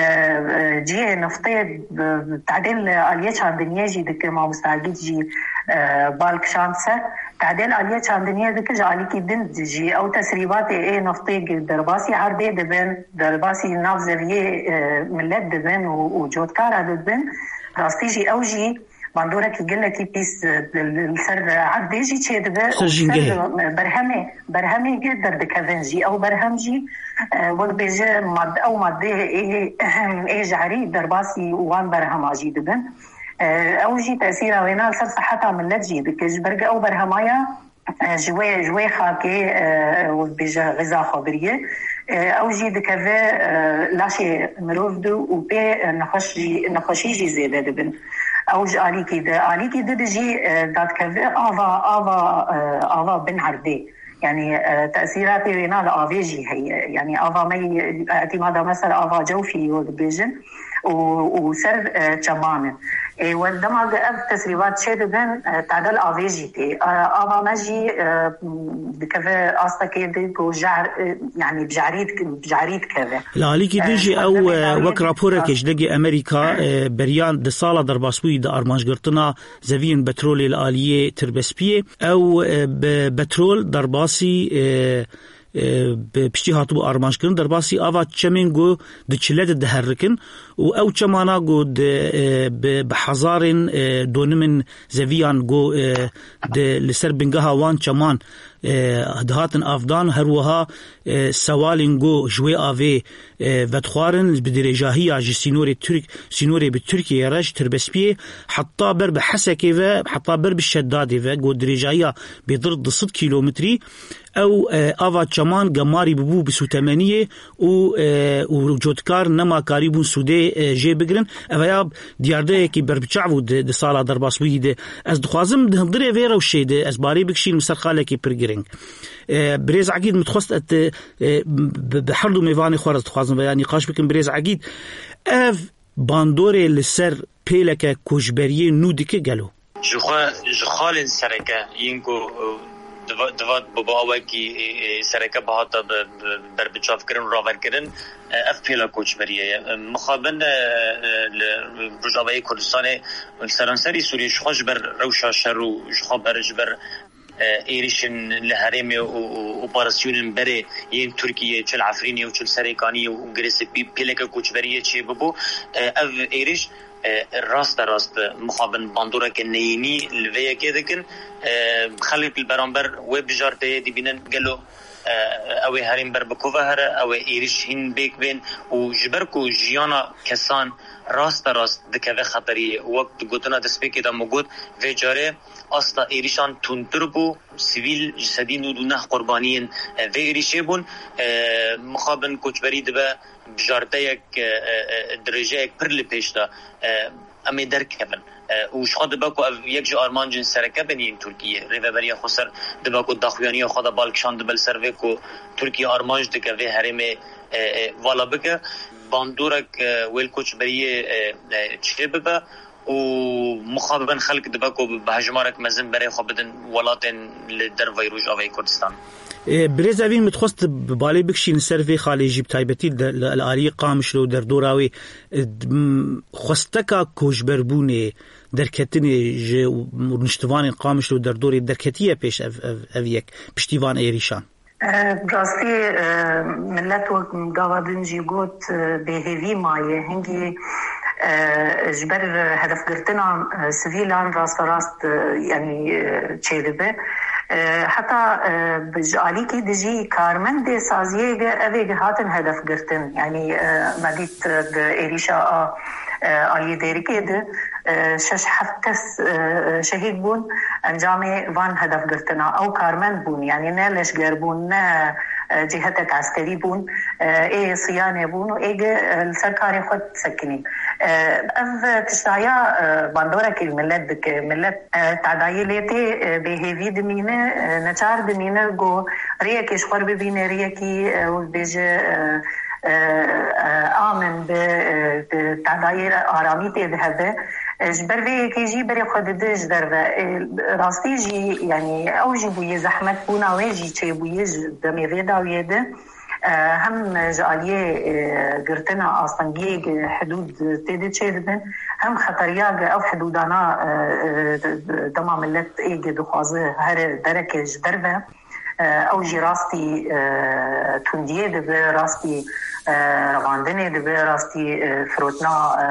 cihê niftê, e, tadê li aliyê çandiniyê jî dike, mamosta Egîd jî, e, bal kişand ser. Tadê li aliyê çandiniyê dike, ji alîkî din jî ew tesrîbatê ê niftê derbasî erdê dibin, derbasî nav zeviyê, e, milet dibin û, û cotkara dibin. Rastî jî ew jî bandorekî gelekî pîs, e, li, li, li ser erdê jî çêdibe. Ser û jîngehê. Ser berhemê, berhemê ge derdikevin jî. Ew berhem jî, e, wek bêje mad-, ew madeyê ê, ê jehrî derbasî wan berhema jî dibin. E, ew jî tesîra wêna li ser seheta milet jî dike. Ji ber ku ew berhema ya e, ji wê, ji wê xakê, e, wek bêje xiza xwe biriye. E, ew jî dikeve, e, laşê mirov de û pê, e, nexweş jî, nexweşî jî zêde dibin. Ew ji alîkî di, alîkî di de jî, e, dadikeve ava, ava, e, ava bin erdê. Yani, e, tesîratê wêna li avê jî heye. Yani, ava me yî, îtîmada me ser ava cewfî yo dibêjin û, û ser, e, çeman e. Ê, we dema ku ev tesrîbat çêdibin, e, tadel avê jî tê. E, ava me jî, e, dikeve astekê di ku jehr, e, yani bi jehrî dik-, bi jehrî dikeve. Li alîkî din jî ew, e, wek raporekê ji degê Amerîka, e, beriyan di sala derbasbûyî de armancgirtina zeviyên petrolê li aliyê Tirbespiyê. Ew, e, bi petrol derbasî, e, e, bi piştî hatibû armanjkirin, derbasî ava çemên ku di çile de diherikin û ew çemana ku di, e, bi, bi hezarên, e, donimên zeviyan ku, e, di, li ser bingeha wan çeman, e, dihatin avdan, her wiha, e, sewalên ku ji wê avê, e, vedixwarin bi dirêjahiya ji sînorê Tirk, sînorê bi Tirkiyeyê re ji Tirbespiyê heta ber bi Hesekê ve, heta ber bi Şedadê ve, ku dirêjahiya bêtir du sed kîlometrî, ew, e, ava çeman gemarî bûbû bi sûtemeniyê û, e, û cotkar nema karîbûn sûdê, e, jê bigirin. Ev ya diyardeyekî berbiçav bû di, di sala derbasbûyî de. Ez dixwazim di hundirê vê rewşê de ez barê bikişînim ser xalekî pir giring. E, birêz Egîd, min dixwest et, e, bi, bi her du mêvanê xwe re dixwazim veya nîqaş bikim. Birêz Egîd, ev bandorê li ser pêleke koçberiyê nû dike gelo? Ji xwe, ji xalên sereke yên ku, e, diva-, divat bi, bi awekî, e, e, sereke bihata bi, bi, berbiçavkirin û raverkirin, e, ev pêla koçberiyê ye. E, mixabin, e, e, li Rojavayê Kurdistanê, li seranserî Sûriyê ji xwe ji ber rewşa şer û ji xwe ber, ji ber, e, êrişên li herêmê û, û operasyonên berê yên Tirkiyê, çi li Efrînê û çi li Serêkaniyê û Girêsê pê-, pêleke koçberiyê çêbibû, e, ev êriş, e, raste rast mixabin bandoreke neyînî li vê yekê dikin. E, xelk li beramber wê bijarteyê dibînin gelo, e, ew ê herêm ber bi ku ve here, ew ê êriş hîn bêk bên û ji ber ku jiyana kesan raste rast dikeve xeteriyê. Wek di gotina destpêkê de min got, vê carê asta êrişan tundtir bû, sivîl ji sedî nod û neh qurbaniyên, e, vê êrişê bûn. E, mixabin koçberî dibe bijarteyek, e, e, e, dirêjeyek pir li pêş de, e, em ê derkevin. E, û ji xwe dibe ku ev yek ji armancên sereke bin yên Tirkiyê. Rêveberiya Xweser dibe ku daxuyaniya xwe de bal kişandibe li ser vê ku Tirkiye armanc dike vê herêmê, e, e, vala bike. Bandorek, e, wê li koçberiyê, e, e, çê bibe û mixabin xelk dibe ku bi hejmarek mezin berê xwe bidin welatên li derveyî Rojavayê Kurdistan. E, Birêz Evîn, min dixwest bi balê bikişîn ser vê xalê jî, bi taybetî de, li, li aliyê Qamişlo û derdora wê, e, d-, m-, xwesteka koçberbûnê, derketinê ji rûniştivanên Qamişlo û derdorê derketiye pêş ev, ev, ev yek, piştî van êrîşan? E, bi rastî, e, millet wek gava din jî got, e, bêhêvî maye. Hingî, e, ji ber hedefgirtina, e, sivîlan rasterast, e, yanî, e, çêdibe. E, heta, e, bi, ji alîkî dijî karmendê saziyê ge, evê ge hatin hedefgirtin. Yanî, e, me dît, e, di êrîşa a, e, aliyê Dêrikê de, e, şeş heft kes, e, şehîd bûn, encamê van hedefgirtina. Ew karmend bûn, yanî ne leşger bûn, ne, e, cîhetek eskerî bûn, e, ê siyanê bûn û ê ge, e, li ser karê xwe disekinîn. E, ev tiştaya, e, bandorek li millet dike. Millet, e, tadayê lê tê, e, bêhêvî dimîne, e, neçar dimîne ku rêyekê ji xwe bibîne, rêyekî, e, wek bêje, e, e, e, amin bi, e, bi tadayê aramî tê dihebe. E, ji ber vê yekê jî berê xwe dide ji derve. E, rastî jî, yanî ew jî bûye zehmet, bûna wê jî çêbûye ji demê vê dawiyê de. E, hem ji aliyê, e, girtina astengiyê hidûd tê de çêdibin, hem xeteriya ge ew hidûdana, e, e, dema millet ê ge dixwaze here dereke ji derve. E, ew jî rastî, e, tundiyê dibe, rastî, e, revandinê dibe, rastî, e, firotina, e,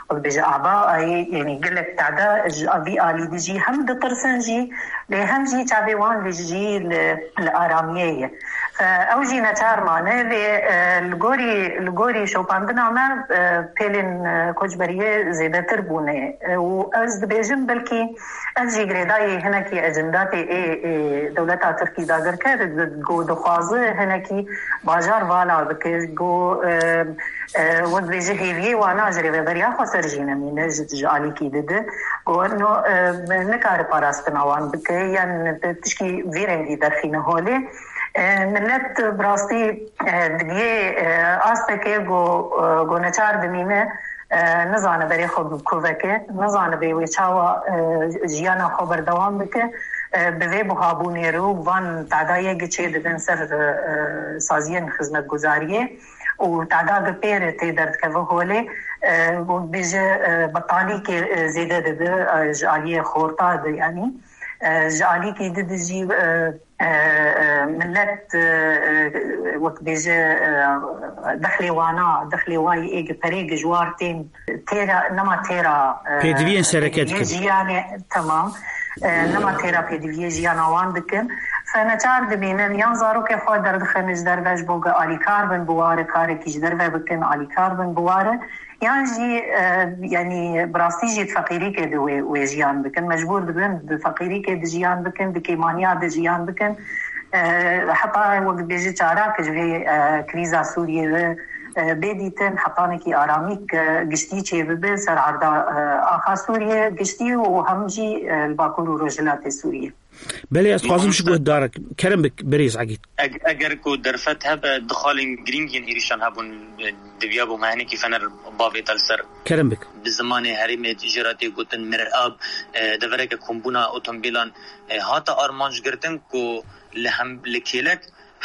wek bêje aba, ay, yanî gelek tade ji vî alî de jî hem ditirsin jî, lê hem jî çavê wan li jî li, li aramiyê ye. E, ew jî neçar mane, lê, e, li gorî, li gorî şopandina me, e, pêlên, e, koçberiyê zêdetir bûne. E, û ez dibêjim, belkî ev jî girêdayî hinekî ecendatê ê, ê dewleta Tirkî dagirker, di-, ku dixwaze hinekî bajar vala bike, ku, e, e, wek dibêje hêviyê wana ji rêveberiya xweser jî nemîne, ji, ji alîkî dide, ku no, e, nikare parastina wan bike, yan tişkî vî rengî derxîne holê. E, millet bi rastî, e, digiyê, e, astekê ku, e, ku neçar dimîne, e, nizane berê xwe bi ku veke, nizane bê wê çawa, e, jiyana xwe berdewam bike, e, bi vê buhabûnê re û van tadayê giçê dibin ser, e, saziyên xizmetguzariyê û tada bi pê re tê derdikeve holê, e, û bêje, e, betalîkê, e, zêde dibe, e, ji aliyê xorta de, yanî, e, ji alîkî dide jî, e, e, e, millet, e, e, wek bêje, e, dexlê wana, dexlê wayî ê gi perê gi ji war tên têra, nema têra, e, Pêdiviyên sereke pêdiviyê dikin. Jiyanê, temam. E, nema têra pêdiviyê jiyana wan dikin. Fe neçar dibînin, yan zarokê xwe derdixin ji derve ji bo gi alîkar bin bi ware, karekî ji derve bikin, alîkar bin bi ware. Yan jî, e, yanî bi rastî jî di feqîrîkê de wê, wê jiyan bikin. Mecbûr dibin di feqîrîkê de jiyan bikin, di kêmaniya de jiyan bikin. E, heta wek dibêje çarak ji vê, e, krîza Sûriyê ve, e, bê dîtin, hetanekî aramîk, e, giştî çêbibe ser arda, e, axa Sûriyê giştî û hem jî, e, li Bakur û Rojhilatê Sûriyê. Belê, ez dixwazim ji guhdarek kerem bik, birêz Egîd. Eg-, eger ku derfet hebe, du xalên girîng yên êrîşan hebûn, e, diviya bû me hinekî fener bavêta li ser. Kerem bik. Bi zimanê herêmê jê re tê gotin mirab, e, devereke kombûna otomobîlan, e, hate armanc girtin ku li hem, li kêlek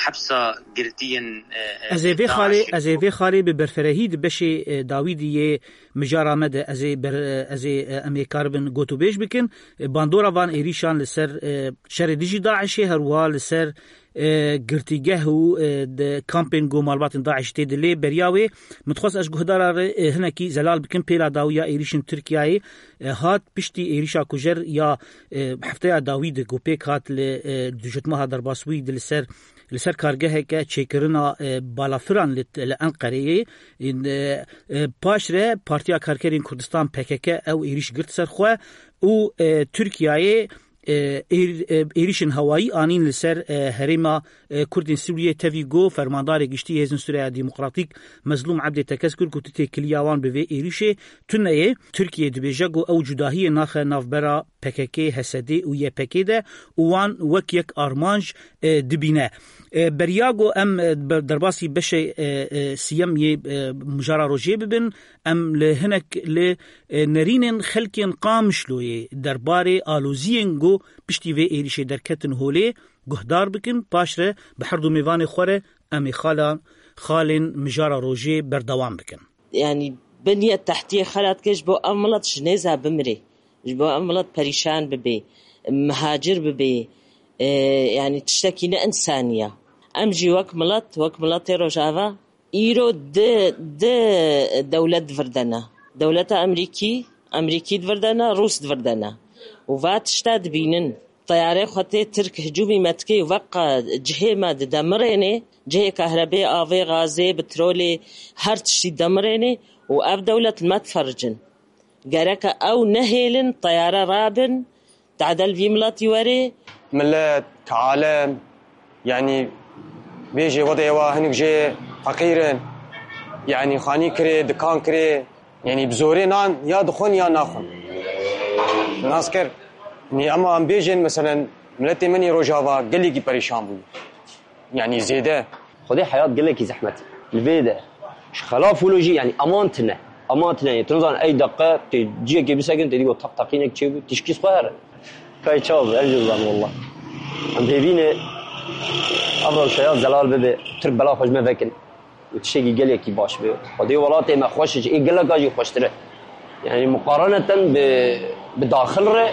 hepsa girtiyên, e, e, Ez ê vê xalê, DAIŞ ez ê vê xalê bi berferehî di beşê, e, dawî dî yê mijara me de ez ê ber-, ez ê, e, em ê karibin gotûbêj bikin. E, bandora van êrîşan li ser, e, şerê dijî DAIŞê, her wiha li ser, e, girtîgeh û, e, di kampên ku malbatên DAIŞ tê de lê beriya wê. Min dixwest ez guhdara re, e, hinekî zelal bikim pêla dawiya êrîşên Tirkiyeyê, e, hat piştî êrîşa kujer ya, e, hefteya dawî de ku pêk hat li, e, dujitmeha derbasbûyî de li ser li ser kargeheke çêkirina, e, balafiran li, li Enqereyê, e, e, paşre Partiya Karkerên Kurdistan P K K ew êrîş girt ser xwe û, e, Tirkiyeyê, e, êr-, e, êrîşên hewayî anîn li ser, e, herêma, e, Kurdên Sûriyê tevî ku Fermandarê Giştî Hêzên Sûriya Demokratîk Mezlûm Ebdê Tekez kir ku tu têkiliya wan bi vê êrîşê tune ye. Tirkiye dibêje ku ew cudahiyê naxe navbera P K K, H S D û Y P G de û wan wek yek armanc, e, dibîne. E, beriya ku em, e, ber-, derbasî beşê, e, e, siyem yê, e, mijara rojê bibin, em li hinek li, e, nerînên xelkên Qamişloyê derbarê aloziyên ku piştî vê êrîşê derketin holê guhdar bikin, paşre bi her du mêvanê xwe re em ê xalan, xalên mijara rojê berdewam bikin. Yanî biniye tehtiyê xelat ke ji bo ev milet ji nêza bimrê, ji bo ev milet perîşan bibê, mihacir bibê, e, yanî tiştekî ne insaniya. Em jî wek milet, wek miletê Rojava, îro di, di dewlet divirdene. Dewleta Emerîkî, Emerîkî divirdene, Rûs divirdene. Û va tişta dibînin. Teyarê xwe tê Tirk hicûmî me dike û veqa cihê me didemirênê, cihê kahrebê, avê, gazê, petrolê, her tiştî demirênê û ev dewlet me difericin. Gereke ew nehêlin, teyare rabin, tadel vî miletî werê. Millet, alem, yanî bêjê wedê wa hinik jê feqîr in, yanî xanî kirê, dikan kirê, yanî bi zorê nan ya dixwin ya naxwin. Nas kir. Yanî ema em bêjin, meselen, miletê min ê Rojava gelekî perîşan bû. Yanî zêde. Xwedê heyat gelekî zehmet e. Li vê de ji xelaf wilo jî, yanî eman tine. Eman tine. Tu nizanin ey deqe tê ciyekê bisekin, tê dî got teq teqînek çêbû, tişkî xwe here. Kay çav, ev jî dizanim wallah. Em hêvî ne ev rewşa ya zelal bibe, Tirk bela xwe ji me vekin. Û tiştekî gelekî baş be. Xwedê welatê me xweş e, ji ê geleka jî xweştir e. Yanî muqareneten bi, bi daxil re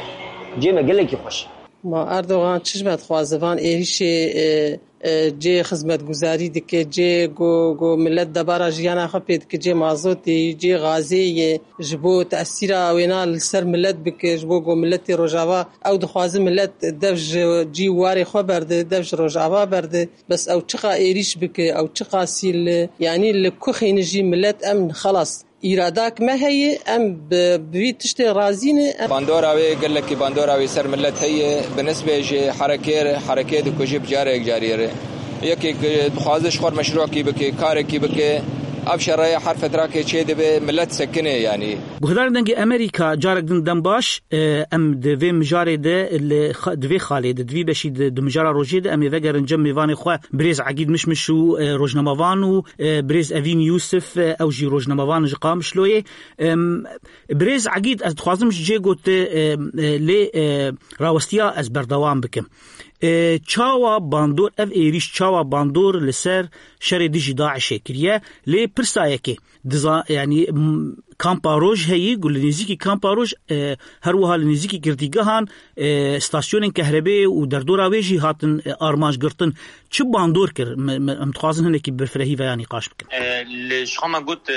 cê me gelekî xweş e. Ma Erdogan çi ji me dixwaze? Van êrîşê, e, e, cê xizmetguzarî dike, cê ku, ku millet debara jiyana xwe pê dike, cê mazotê yî, cê gazê yê, ji bo tesîra wêna li ser millet bike, ji bo ku milletê Rojava, ew dixwaze millet dev ji cî û warê xwe berde, dev ji Rojava berde. Bes ew çiqa êrîş bike, ew çiqa sîl, yanî li ku xîni jî millet em xelas îradak me heye, em bi, bi vî tiştê razî ne. Em Bandora wê, gelekî bandora wê ser millet heye, bi nisbê ji herekê re, herekê dikuje bi carek carî re. Yekê ku dixwaze ji xwe re meşrûkî bike, karekî bike, ev şereye her fetrakê çê dibe, millet sekine yanî. Guhdarên Dengê Amerîka, carek din dem baş. E, em di vê mijarê de li xa-, di vê xalê de, di vî beşî de, di mijara rojê de em ê vegerin cem mêvanê xwe, birêz Egîd Mişmiş û, e, rojnamevan û, e, birêz Evîn Yûsif, e, ew jî rojnamevan ji Qamişloyê. Em, birêz Egîd, ez dixwazim ji cê gote, e, e, lê, e, rawestiya ez berdewam bikim. E, çawa bandor, ev êrîş çawa bandor li ser şerê dijî DAIŞê kiriye? Lê pirsa yekê, diza-, yanî, m-, kampa roj heyî, ku li nêzîkî kampa roj, e, her wiha li nêzîkî girtîgehan, e, stasyonên kehrebê û derdora wê jî hatin, e, armanc girtin. Çi bandor kir? Me, me, em dixwazin hinekî bi firehî veya nîqaş bikin. E, li ji xwe me got, e,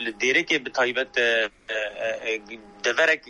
li Dêrekê bi taybet, e, e, e, deverek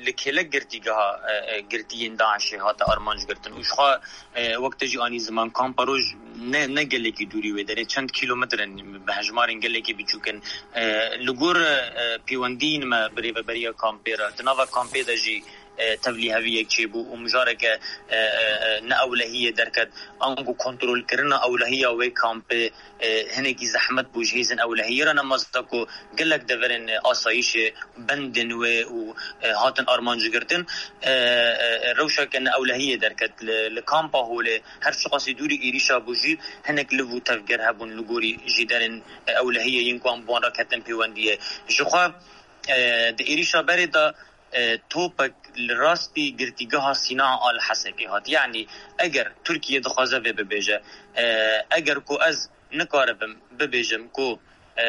li kêlek girtîgeha, e, e, girtiyên DAIŞê hate armanc girtin. Û ji xwe, e, wek te jî anî ziman, kampa roj ne, ne gelekî dûrî wê derê, çend kîlometre in, bi hejmarên gelekî biçûk in. E, li gor, e, pêwendiyên me bi rêveberiya kampê re, di nava kampê de jî, e, tevlîheviyek çêbû û mijareke, e, e, e, ne ewlehiyê derket. Ango kontrolkirina ewlehiya wê kampê, e, hinekî zehmet bû ji hêzên ewlehiyê re, ne mezda ku gelek deverên, e, asayîşê bendên wê û, e, hatin armancgirtin, e, e, rewşeke ne ewlehiyê derket. Li, li kampa Holê her çiqasî dûrî êrîşa bû jî hinek liv û tevger hebûn li gorî jêderên, e, ewlehiyê yên ku em bi wan re ketin pêwendiyê. Ji xwe, e, di êrîşa berê de, e, topek li rastî girtîgeha Sîna Al Hesekê hat. Yanî eger Tirkiye dixwaze vê bibêje, e, eger ku ez nikaribim bibêjim ku, e,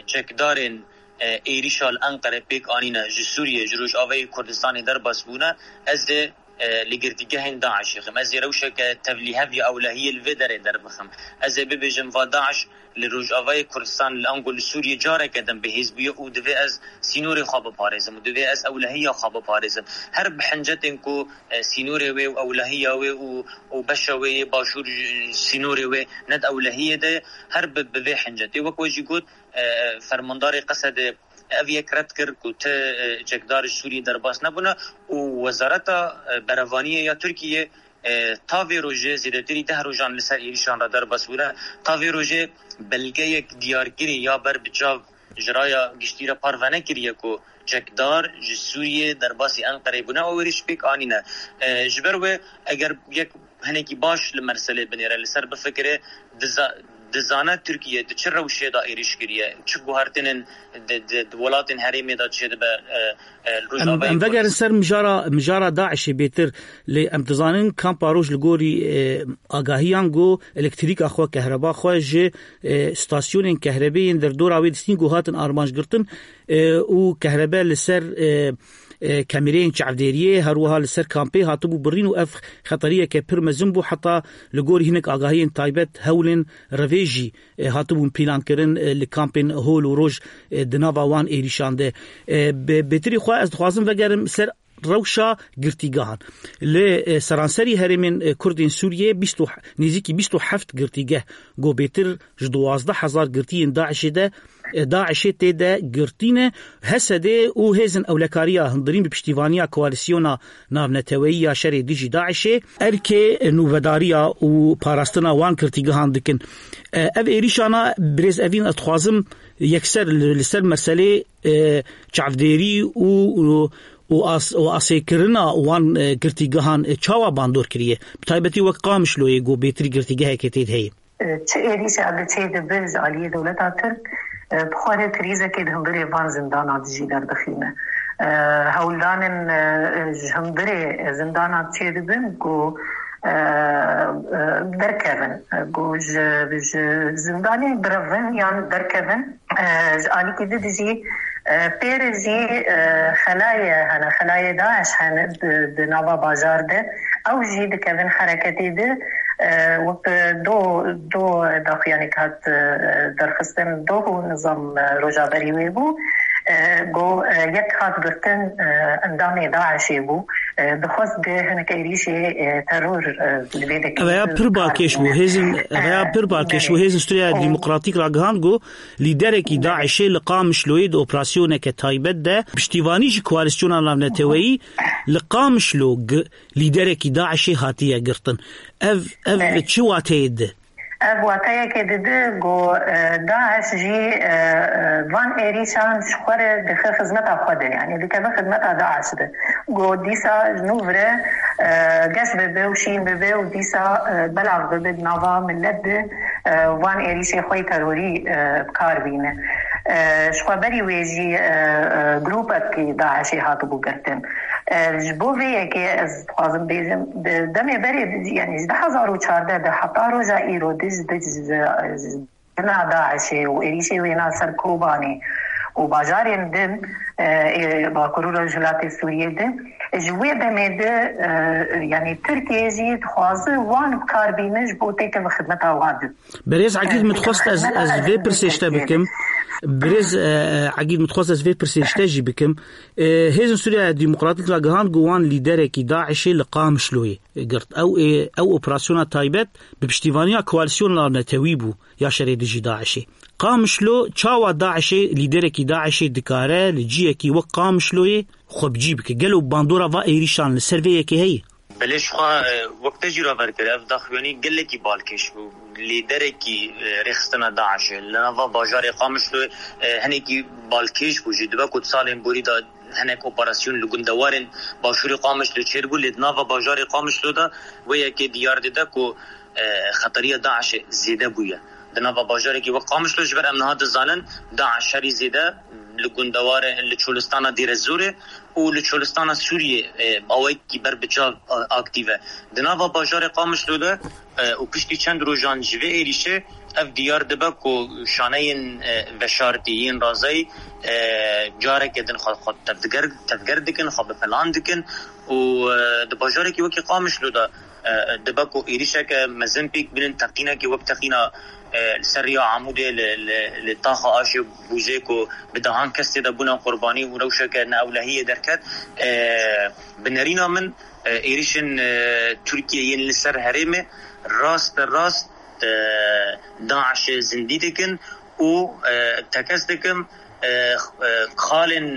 çekdarên, e, êrîşa li Enqere pêk anîne ji Sûriyê, ji Rojavayê Kurdistanê derbas bûne, ez ê, e, li girtîgehên DAIŞê xim. Ez ê rewşeke tevlîhev ya ewlehiyê li vê derê derbixim. Ez ê bibêjim va DAIŞ li Rojavayê Kurdistan, li ango li Sûriyê careke din bihêz bûye û divê ez sînorê xwe biparêzim û divê ez ewlehiya xwe biparêzim. Her bi hincetên ku, e, sînorê wê û ewlehiya wê û, û beşa wê yê başûr, e, sînorê wê ne di ewlehiyê de ye, her bi, bi vê hincetê. Wek we jî got, e, fermandarê Qesedê ev yek red kir ku ti, e, çekdar ji Sûriyê derbas nebûne û Wezareta, e, Berevaniyê ya Tirkiyê, e, ta vê rojê zêdetirî deh rojan li ser êrîşan re derbas bûne. Ta vê rojê belgeyek diyarkirî ya ber bi çav ji raya giştî re parve nekiriye ku çekdar ji Sûriyê derbasî Enqereyê bûne û êrîş pêk anîne. E, ji ber wê eger yek hinekî baş li meselê binêre, li ser bifikire, diza-, dizane Tirkiye di çi rewşê de êrîş kiriye, çi guhertinên di, di, di welatên herêmê de çêdibe, e, e, li Em, Rojavayê em vegerin Kurdistan. Ser mijara, mijara DAIŞê bêtir, lê em dizanin kampa roj li gorî, e, agahiyan ku elektrîka xwe, kehreba xwe ji, e, stasyonên kehrebê yên derdora wê distîn ku hatin armanc girtin, e, û kehrebe li ser, e, e, kamereyên çavdêriyê, her wiha li ser kampê hatibû birîn û ev xeteriyeke pir mezin bû, heta li gorî hinek agahiyên taybet hewlên revê jî, e, hatibûn pîlankirin, e, li kampên hol û roj, e, di nava wan êrîşan de. E, bi, bêtirî xwe ez dixwazim vegerim ser rewşa girtîgehan. Li, e, seranserî herêmên, e, Kurdên Sûriyê bîst û, nêzîkî bîst û heft girtîgeh, ku bêtir ji duwazdeh hezar girtiyên DAIŞê de, e, DAIŞê tê de girtî ne, HSDê û hêzên ewlekariya hundirîn bi piştîvaniya Koalîsyona Navneteweyî ya Şerê Dijî DAIŞê erkê nûvedariya û parastina wan girtîgehan dikin. E, ev êrîşana birêz Evîn, ez dixwazim yekser li, li ser meselê, e, çavdêrî û, û, û as-, û asêkirina wan, e, girtîgehan, e, çawa bandor kiriye? Bi taybetî wek Qamişloyê ku bêtirî girtîgehekê tê de heye. Çi êrîşa li çê dibe ji aliyê dewleta Tirk, e, bi xwe re krîzekê di hundirê van zindana dijî derdixîne. E, hewldanên, e, ji hundirê zindana çê dibin ku, e, e, derkevin, e, ku ji, ji zindanê birevin yan derkevin. E, ji alîkî di dijî, e, pê re jî, e, xelayê hene, xelayê DAIŞ hene di, di nava bajar de. Ew jî dikevin hereketê de, e, wek do, do daxuyanî hat, e, derxistin, do û nizam, e, rojaberî wê bû. E, go, e, yek hat girtin, e, endamê DAIŞê bû. E, dixwest ge hinek êrîşê, e, teror, e, li vê dekê Ev ya pir balkêş bû. Hêzin, ev ya pir balkêş bû. Hêzin Sûriya Demokratîk ragihand ku lîderekî DAIŞê li Qamişloyê di operasyoneke taybet de piştîvanî ji koalîsyona navneteweyî li Qamişlo gi-, lîderekî DAIŞê hatiye girtin. Ev, ev Belê. çi wateyê di? Ev wateyekê dide ku, e, DAIŞ jî, e, e, van êrîşan ji xwe re dixe xizmeta xwe de, yanî dikeve xizmeta DAIŞ de. Ku dîsa ji nû vire, e, geş bibe û şîn bibe û dîsa, e, belav bibe di nava millet de, e, van êrîşê xwe yê terorî, e, bi kar bîne. E, ji xwe berî wê jî, e, e, grûpekî DAIŞê hatibû girtin. E, ji bo vê yekê ez dixwazim bêjim, di demê berê, yanî ji du hezar û çardeh de heta roja îro dij, dij, dij, dij, dina DAIŞê û êrîşê wêna ser Kobanê û bajarên din, e, ê Bakur û Rojhilatê Sûriyê de, ji wê demê de, e, yanî Tirkiye jî dixwaze wan bi kar bîne ji bo têkeve xidmeta wan de. Berêz Egîd, min dixwest ez, ez vê pirsê ji te bikim. Birêz, e, e, Egîd, min dixwest ez vê pirsê ji te jî bikim. E, Hêzên Sûriya Demokratîk ragihand ku wan lîderekî DAIŞê li Qamişloyê girt. Ew ê, ew operasyona taybet bi piştîvaniya koalîsyona navnetewî bû ya şerê dijî DAIŞê. Qamişlo çawa DAIŞê, lîderekî DAIŞê dikare li ciyekî wek Qamişloyê xwe bi cî bike? Gelo bandora va êrîşan li ser vê yekê heye? Belê, ji xwe, e, wek te jî raver kir, ev daxuyanî gelekî balkêş bû. Lîderekî, e, rêxistina DAIŞê li nava bajarê Qamişlo, e, hinekî balkêş bû jî. Dibe ku di salên borî de hinek operasyon li gundewarên başûrê Qamişlo çêdibû, lê di nava bajarê Qamişlo de wê yekê diyar dide ku, e, xeteriya DAIŞê zêde bûye. Di nava bajarekî wek Qamişlo, ji ber em niha dizanin, DAIŞ herî zêde li gundewarê, li çolistana Dêrezorê û li çolistana Sûriyê, e, awayekî ber bi çav, e, aktîv e. Di nava bajarê Qamişlo de, e, û piştî çend rojan ji vê êrîşê ev diyar dibe ku şaneyên, e, veşartî yên razayî, e, careke din xwe, xwe tevger, tevger dikin, xwe bi plan dikin û, e, di bajarekî wekî Qamişlo de, e, dibe ku êrîşeke mezin pêk bînin, teqînekî wek teqîna, e, li ser riya Amûdê li, li, li taxa Aşê Bûzê ku bi dehan kes tê de bûne qurbanî û rewşeke neewlehiyê derket. E, bi nerîna min, e, êrîşên, e, Tirkiye yên li ser herêmê raste rast, e, DAIŞê zindî dikin û, e, tekez dikim, e, e, xalên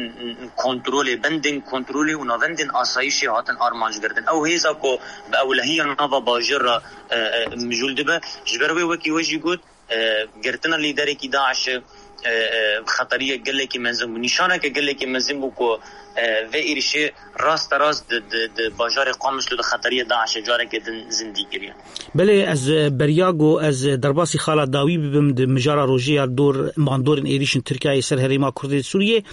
kontrolê, bendên kontrolê û navendên asayîşê hatin armanc girtin. Ew hêza ku bi ewlehiya nava bajêr re, e, e, mijûl dibe, ji ber wê wekî we jî got, e, girtina lîderekî DAIŞê, e, e, xeteriyek gelekî mezin bû, nîşaneke gelekî mezin bû ku, e, vê êrişê rasterast di, di, di bajarê Qamişlo de xeteriya DAIŞê careke din zindî kiriye. Belê, ez, e, beriya ku ez, e, derbasî xala dawî bibim di mijara rojê ya dor bandorên êrîşên Tirkiyeyê ser herêma Kurdê Sûriyê,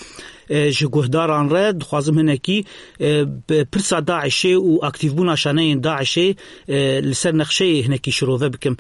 e, ji guhdaran re dixwazim hinekî, e, bi pirsa DAIŞê û aktîvbûna şaneyên DAIŞê, e, li ser nexşeyê hinekî şirove bikim.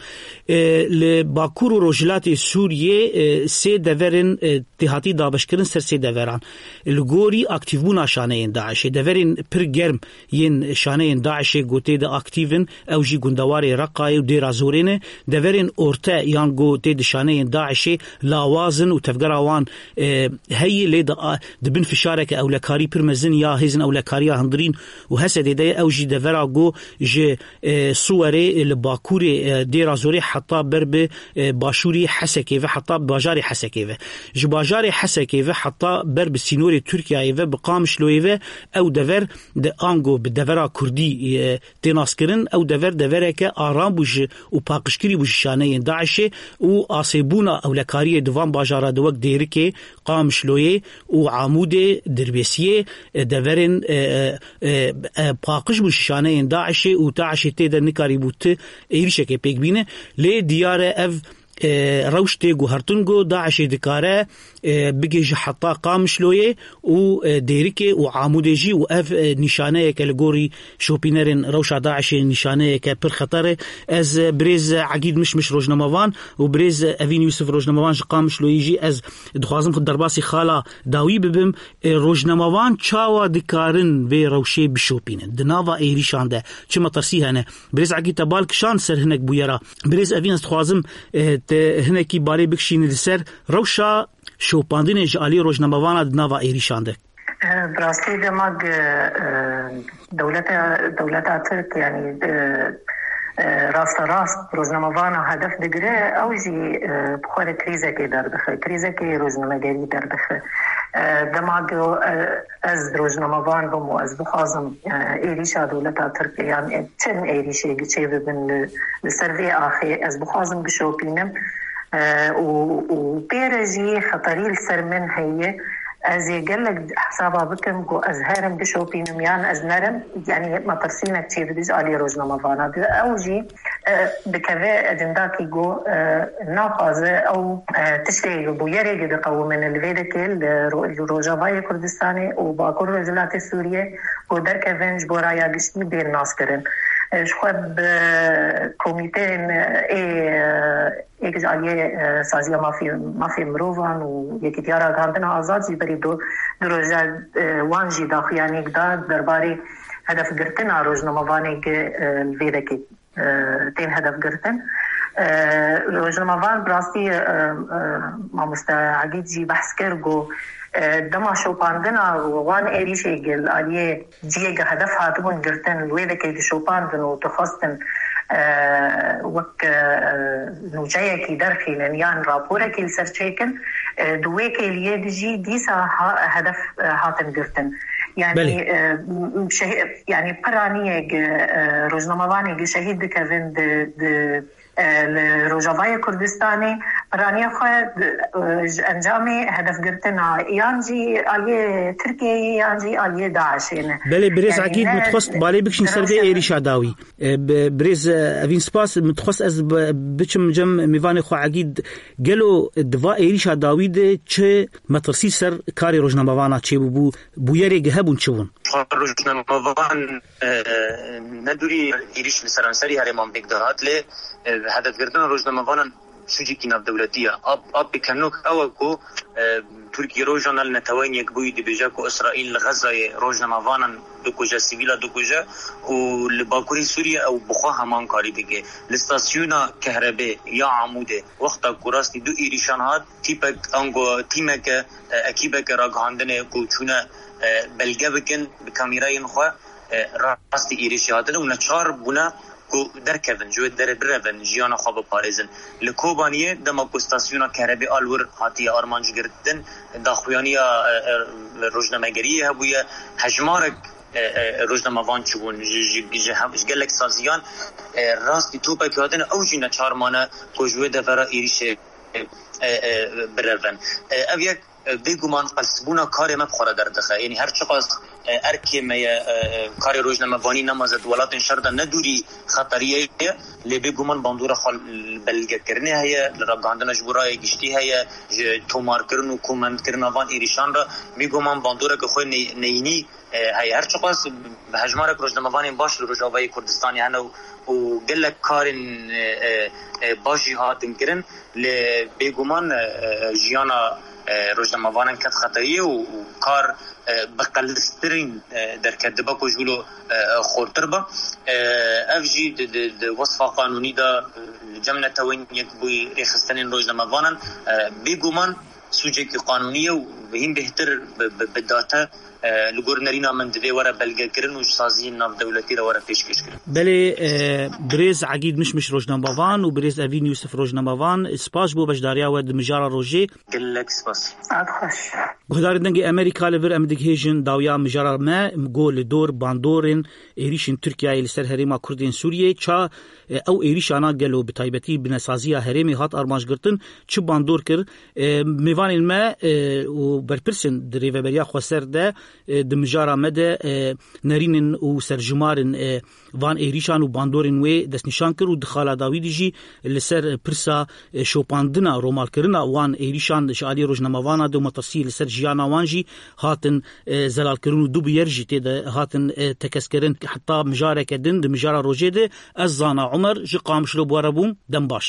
E, li Bakur û Rojhilatê Sûriyê, e, sê deverên, e, tê hatî dabeşkirin ser sê deveran. Li gorî aktîvbûna şaneyên DAIŞê, deverên pir germ yên şaneyên DAIŞê ku tê de aktîv in, ew jî gundewarê Reqayê û Dêra Zorê ne. Deverên orte yan ku tê di şaneyên DAIŞê lawaz in û tevgera wan, e, heye, lê di, a, di bin fişareke ewlekarî pir mezin ya hêzên ewlekariya hundirîn û Hesedê de ye. Ew jî devera ku ji, e, Siwerê, e, li bakurê, e, Dêra Zorê heta ber bi, e, başûrê Hesekê ve, heta bajarê Hesekê ve. Ji bajarê Hesekê ve heta ber bi sînorê Tirkiyeyê ve, bi Qamişloyê ve, ew dever di ango bi devera kurdî, e, tê naskirin. Ew dever devereke aram bû ji û paqijkirî bû ji şaneyên DAIŞê û asêbûna ewlekariyê di van bajara de wek Dêrikê, Qamişloyê û Amûdê, Dirbêsiyê, e, deverên, e, e, e, e, paqij bû ji şaneyên DAIŞê û DAIŞê tê de nikarîbû ti êrişekê pêk bîne. Lê diyar e ev e, rewş tê guhertin ku DAIŞê dikare, e, bigihîje heta Qamişloyê û, e, Dêrikê û Amûdê jî, û ev, e, nîşaneyeke li gorî şopînerên rewşa DAIŞê nîşaneyeke pir xeter e. Ez, e, birêz Egîd Mişmiş rojnamevan û birêz Evîn Yûsif rojnamevan ji Qamişloyê jî ez dixwazim xwe derbasî xala dawî bibim. E, rojnamevan çawa dikarin vê rewşê bişopînin? Di nava êrîşan de çi metirsî hene? Birêz Egîd te bal kişand ser hinek bûyera. Birêz Evîn, ez dixwazim, e, te hinekî balê bikişînî li ser rewşa şopandinê ji alî rojnamevana di nava êrîşan de. E, bi rastî dema, e, e, dewleta, dewleta Tirk, yanî, e, e, rasterast rojnamevana hedef digire, ew jî, e, bi xwe re krîzekê derdixe, krîzekê rojnamegerî derdixe. E, dema ku, e, ez rojnamevan bim û ez bixwazim, e, êrîşa dewleta Tirk yan, e, çend êrîşê çêbibin li, li ser vê axê, ez bixwazim bişopînim, e, û, û pê re jî xeterî li ser min heye. Ez ê gelek hesaba bikim ku ez herim bişopînim yan ez nerim, yanî metirsînek çêbibe ji alî rojnamevana. Di ew jî, e, dikeve ecindakî ku, e, naxwaze ew, e, tiştê bûyerê ku diqewimin li vê dekê li ro-, li Rojavayê Kurdistanê û Bakur Rojhilatê Sûriyê ku derkevin ji bo raya giştî bên naskirin. E, ji xwe bi komîteyên ê, e, Yek ji aliyê, e, Saziya Mafê, Mafê Mirovan û Yekîtiya Ragihandina Azad jî berî du, du roja, e, wan jî daxuyaniyek da derbarê hedefgirtina rojnamevanê ku, e, li vê dekê, e, tên hedefgirtin. E, rojnamevan bi rastî, e, e, mamoste Egîd jî behs kir ku, e, dema şopandina wan êrîşê ku li aliyê cihê ku hedef hatibûn girtin, li wê dekê dişopandin û dixwestin, e, wek, e, nûçeyekî derxînin yan raporekî li ser çêkin, e, di wê kêliyê de jî dîsa ha-, hedef, e, hatin girtin. Yanî, Belê. e, m-, şehî-, yanî piraniyek, e, rojnamevanê ku şehîd dikevin di, di, e, li Rojavayê Kurdistanê, piraniya xwe, e, ji encamê hedefgirtina yan jî aliyê Tirkiyeyê yan jî aliyê DAIŞê ne. Belê, birêz Yanî Egîd, ne min dixwest balê bikişîn ser vê rewşa êrîşa dawî. E, bi-, birêz, e, Evîn, spas. Min dixwest ez bi-, biçim cem mêvanê xwe Egîd. Gelo di va êrîşa dawî de çi metirsî ser karê rojnamevana çêbûbû? Bûyerê ku hebûn çi bûn? Rojnamevan, e, ne dûrî êrîş li seranserî herêman pêk dihat, lê, e, hedefgirtina rojnamevanan sûcekî navdewletî ye. A, a pêkenok ew e ku, e, Tirkiye rojane li Neteweyên Yekbûyî dibêje ku Îsraîl li Xezayê rojnamevanan dikuje, sivîla dikuje û li Bakurê Sûriyê ew bi xwe heman karî dike. Li stasyona kehrebê ya Amûdê wexta ku rastî du êrîşan hat, tîpek, ango tîmeke, e, ekîbeke ragihandinê ku çûne, e, belge bikin bi kamîrayên xwe, e, rastî êrîşê hatine û neçar bûne ku derkevin, ji wê derê birevin, jiyana xwe biparêzin. Li Kobaniyê dema ku stasyona kehrebê a li wir hatiye armanc girtin, daxuyaniya, e, e, rojnamegeriyê hebûye, hejmarek, e, e, rojnamevan çûbûn, ji, ji, ji, ji gelek saziyan, e, rastî topek hatine, ew jî neçar mane ku ji wê devera êrîşê, e, e, birevin. E, ev yek, e, bêguman qelsbûna karê me bi xwe re derdixe. Yanî her çiqas, e, erkê me ye, e, e, karê rojnamevanî nemaze di welatên şer de ne dûrî xeteriyê ye, lê bêguman bandora xwe li belgekirinê heye, li ragihandina ji bo rayê giştî heye, ji tomarkirin û komendkirina van êrîşan re bêguman bandoreke xwe ney-, neyînî, e, heye. Her çiqas bi hejmarek rojnamevanên baş li Rojavayê Kurdistanê hene û, û gelek karên, e, e, e, baş jî hatin kirin, lê bêguman, e, e, jiyana, e, rojnamevanan ket xeteriyê û, û kar, e, bi qeliztirîn, e, derket, dibe ku ji wilo, e, e, xurtir be. E, ev jî di, di, di wesfa qanûnî de, e, li cem Netewên Yekbûyî rêxistinên rojnamevanan, e, bêguman sûcekî qanûnî ye û hîn bêhtir bi, bi, bi date, e, li gor nerîna min divê were belgekirin û ji saziyên navdewletî re were pêşkêşkirin. Belê, e, birêz Egîd Mişmiş rojnamevan û birêz Evîn Yûsif rojnamevan, spas bo beşdariya we di mijara rojê. Gelek spas. Saet xweş. Guhdarên Dengê Amerîka, li vir em digihêjin dawiya mijara me, go li dor bandorên êrîşên Tirkiyeyê li ser herêma Kurdên Sûriyê, ça, e, ew êrîşana gelo bi taybetî binesaziya herêmê hat armancgirtin, çi bandor kir? E, mêvanên me, e, û berpirsên di rêveberiya xweser de e, di mijara me de, e, nerînin û serjimarên, e, van êrîşan û bandorên wê destnîşan kir û di xala dawî de jî li ser pirsa, e, şopandina, romalkirina wan êrîşan ji aliyê rojnamevana de û metirsiyê li ser jiyana wan jî hatin, e, zelalkirin û du bûyer jî tê de hatin, e, tekez kirin. Heta mijareke din di mijara rojê de ez Zana Omer ji Qamişlo bi we re bûm. Dem baş.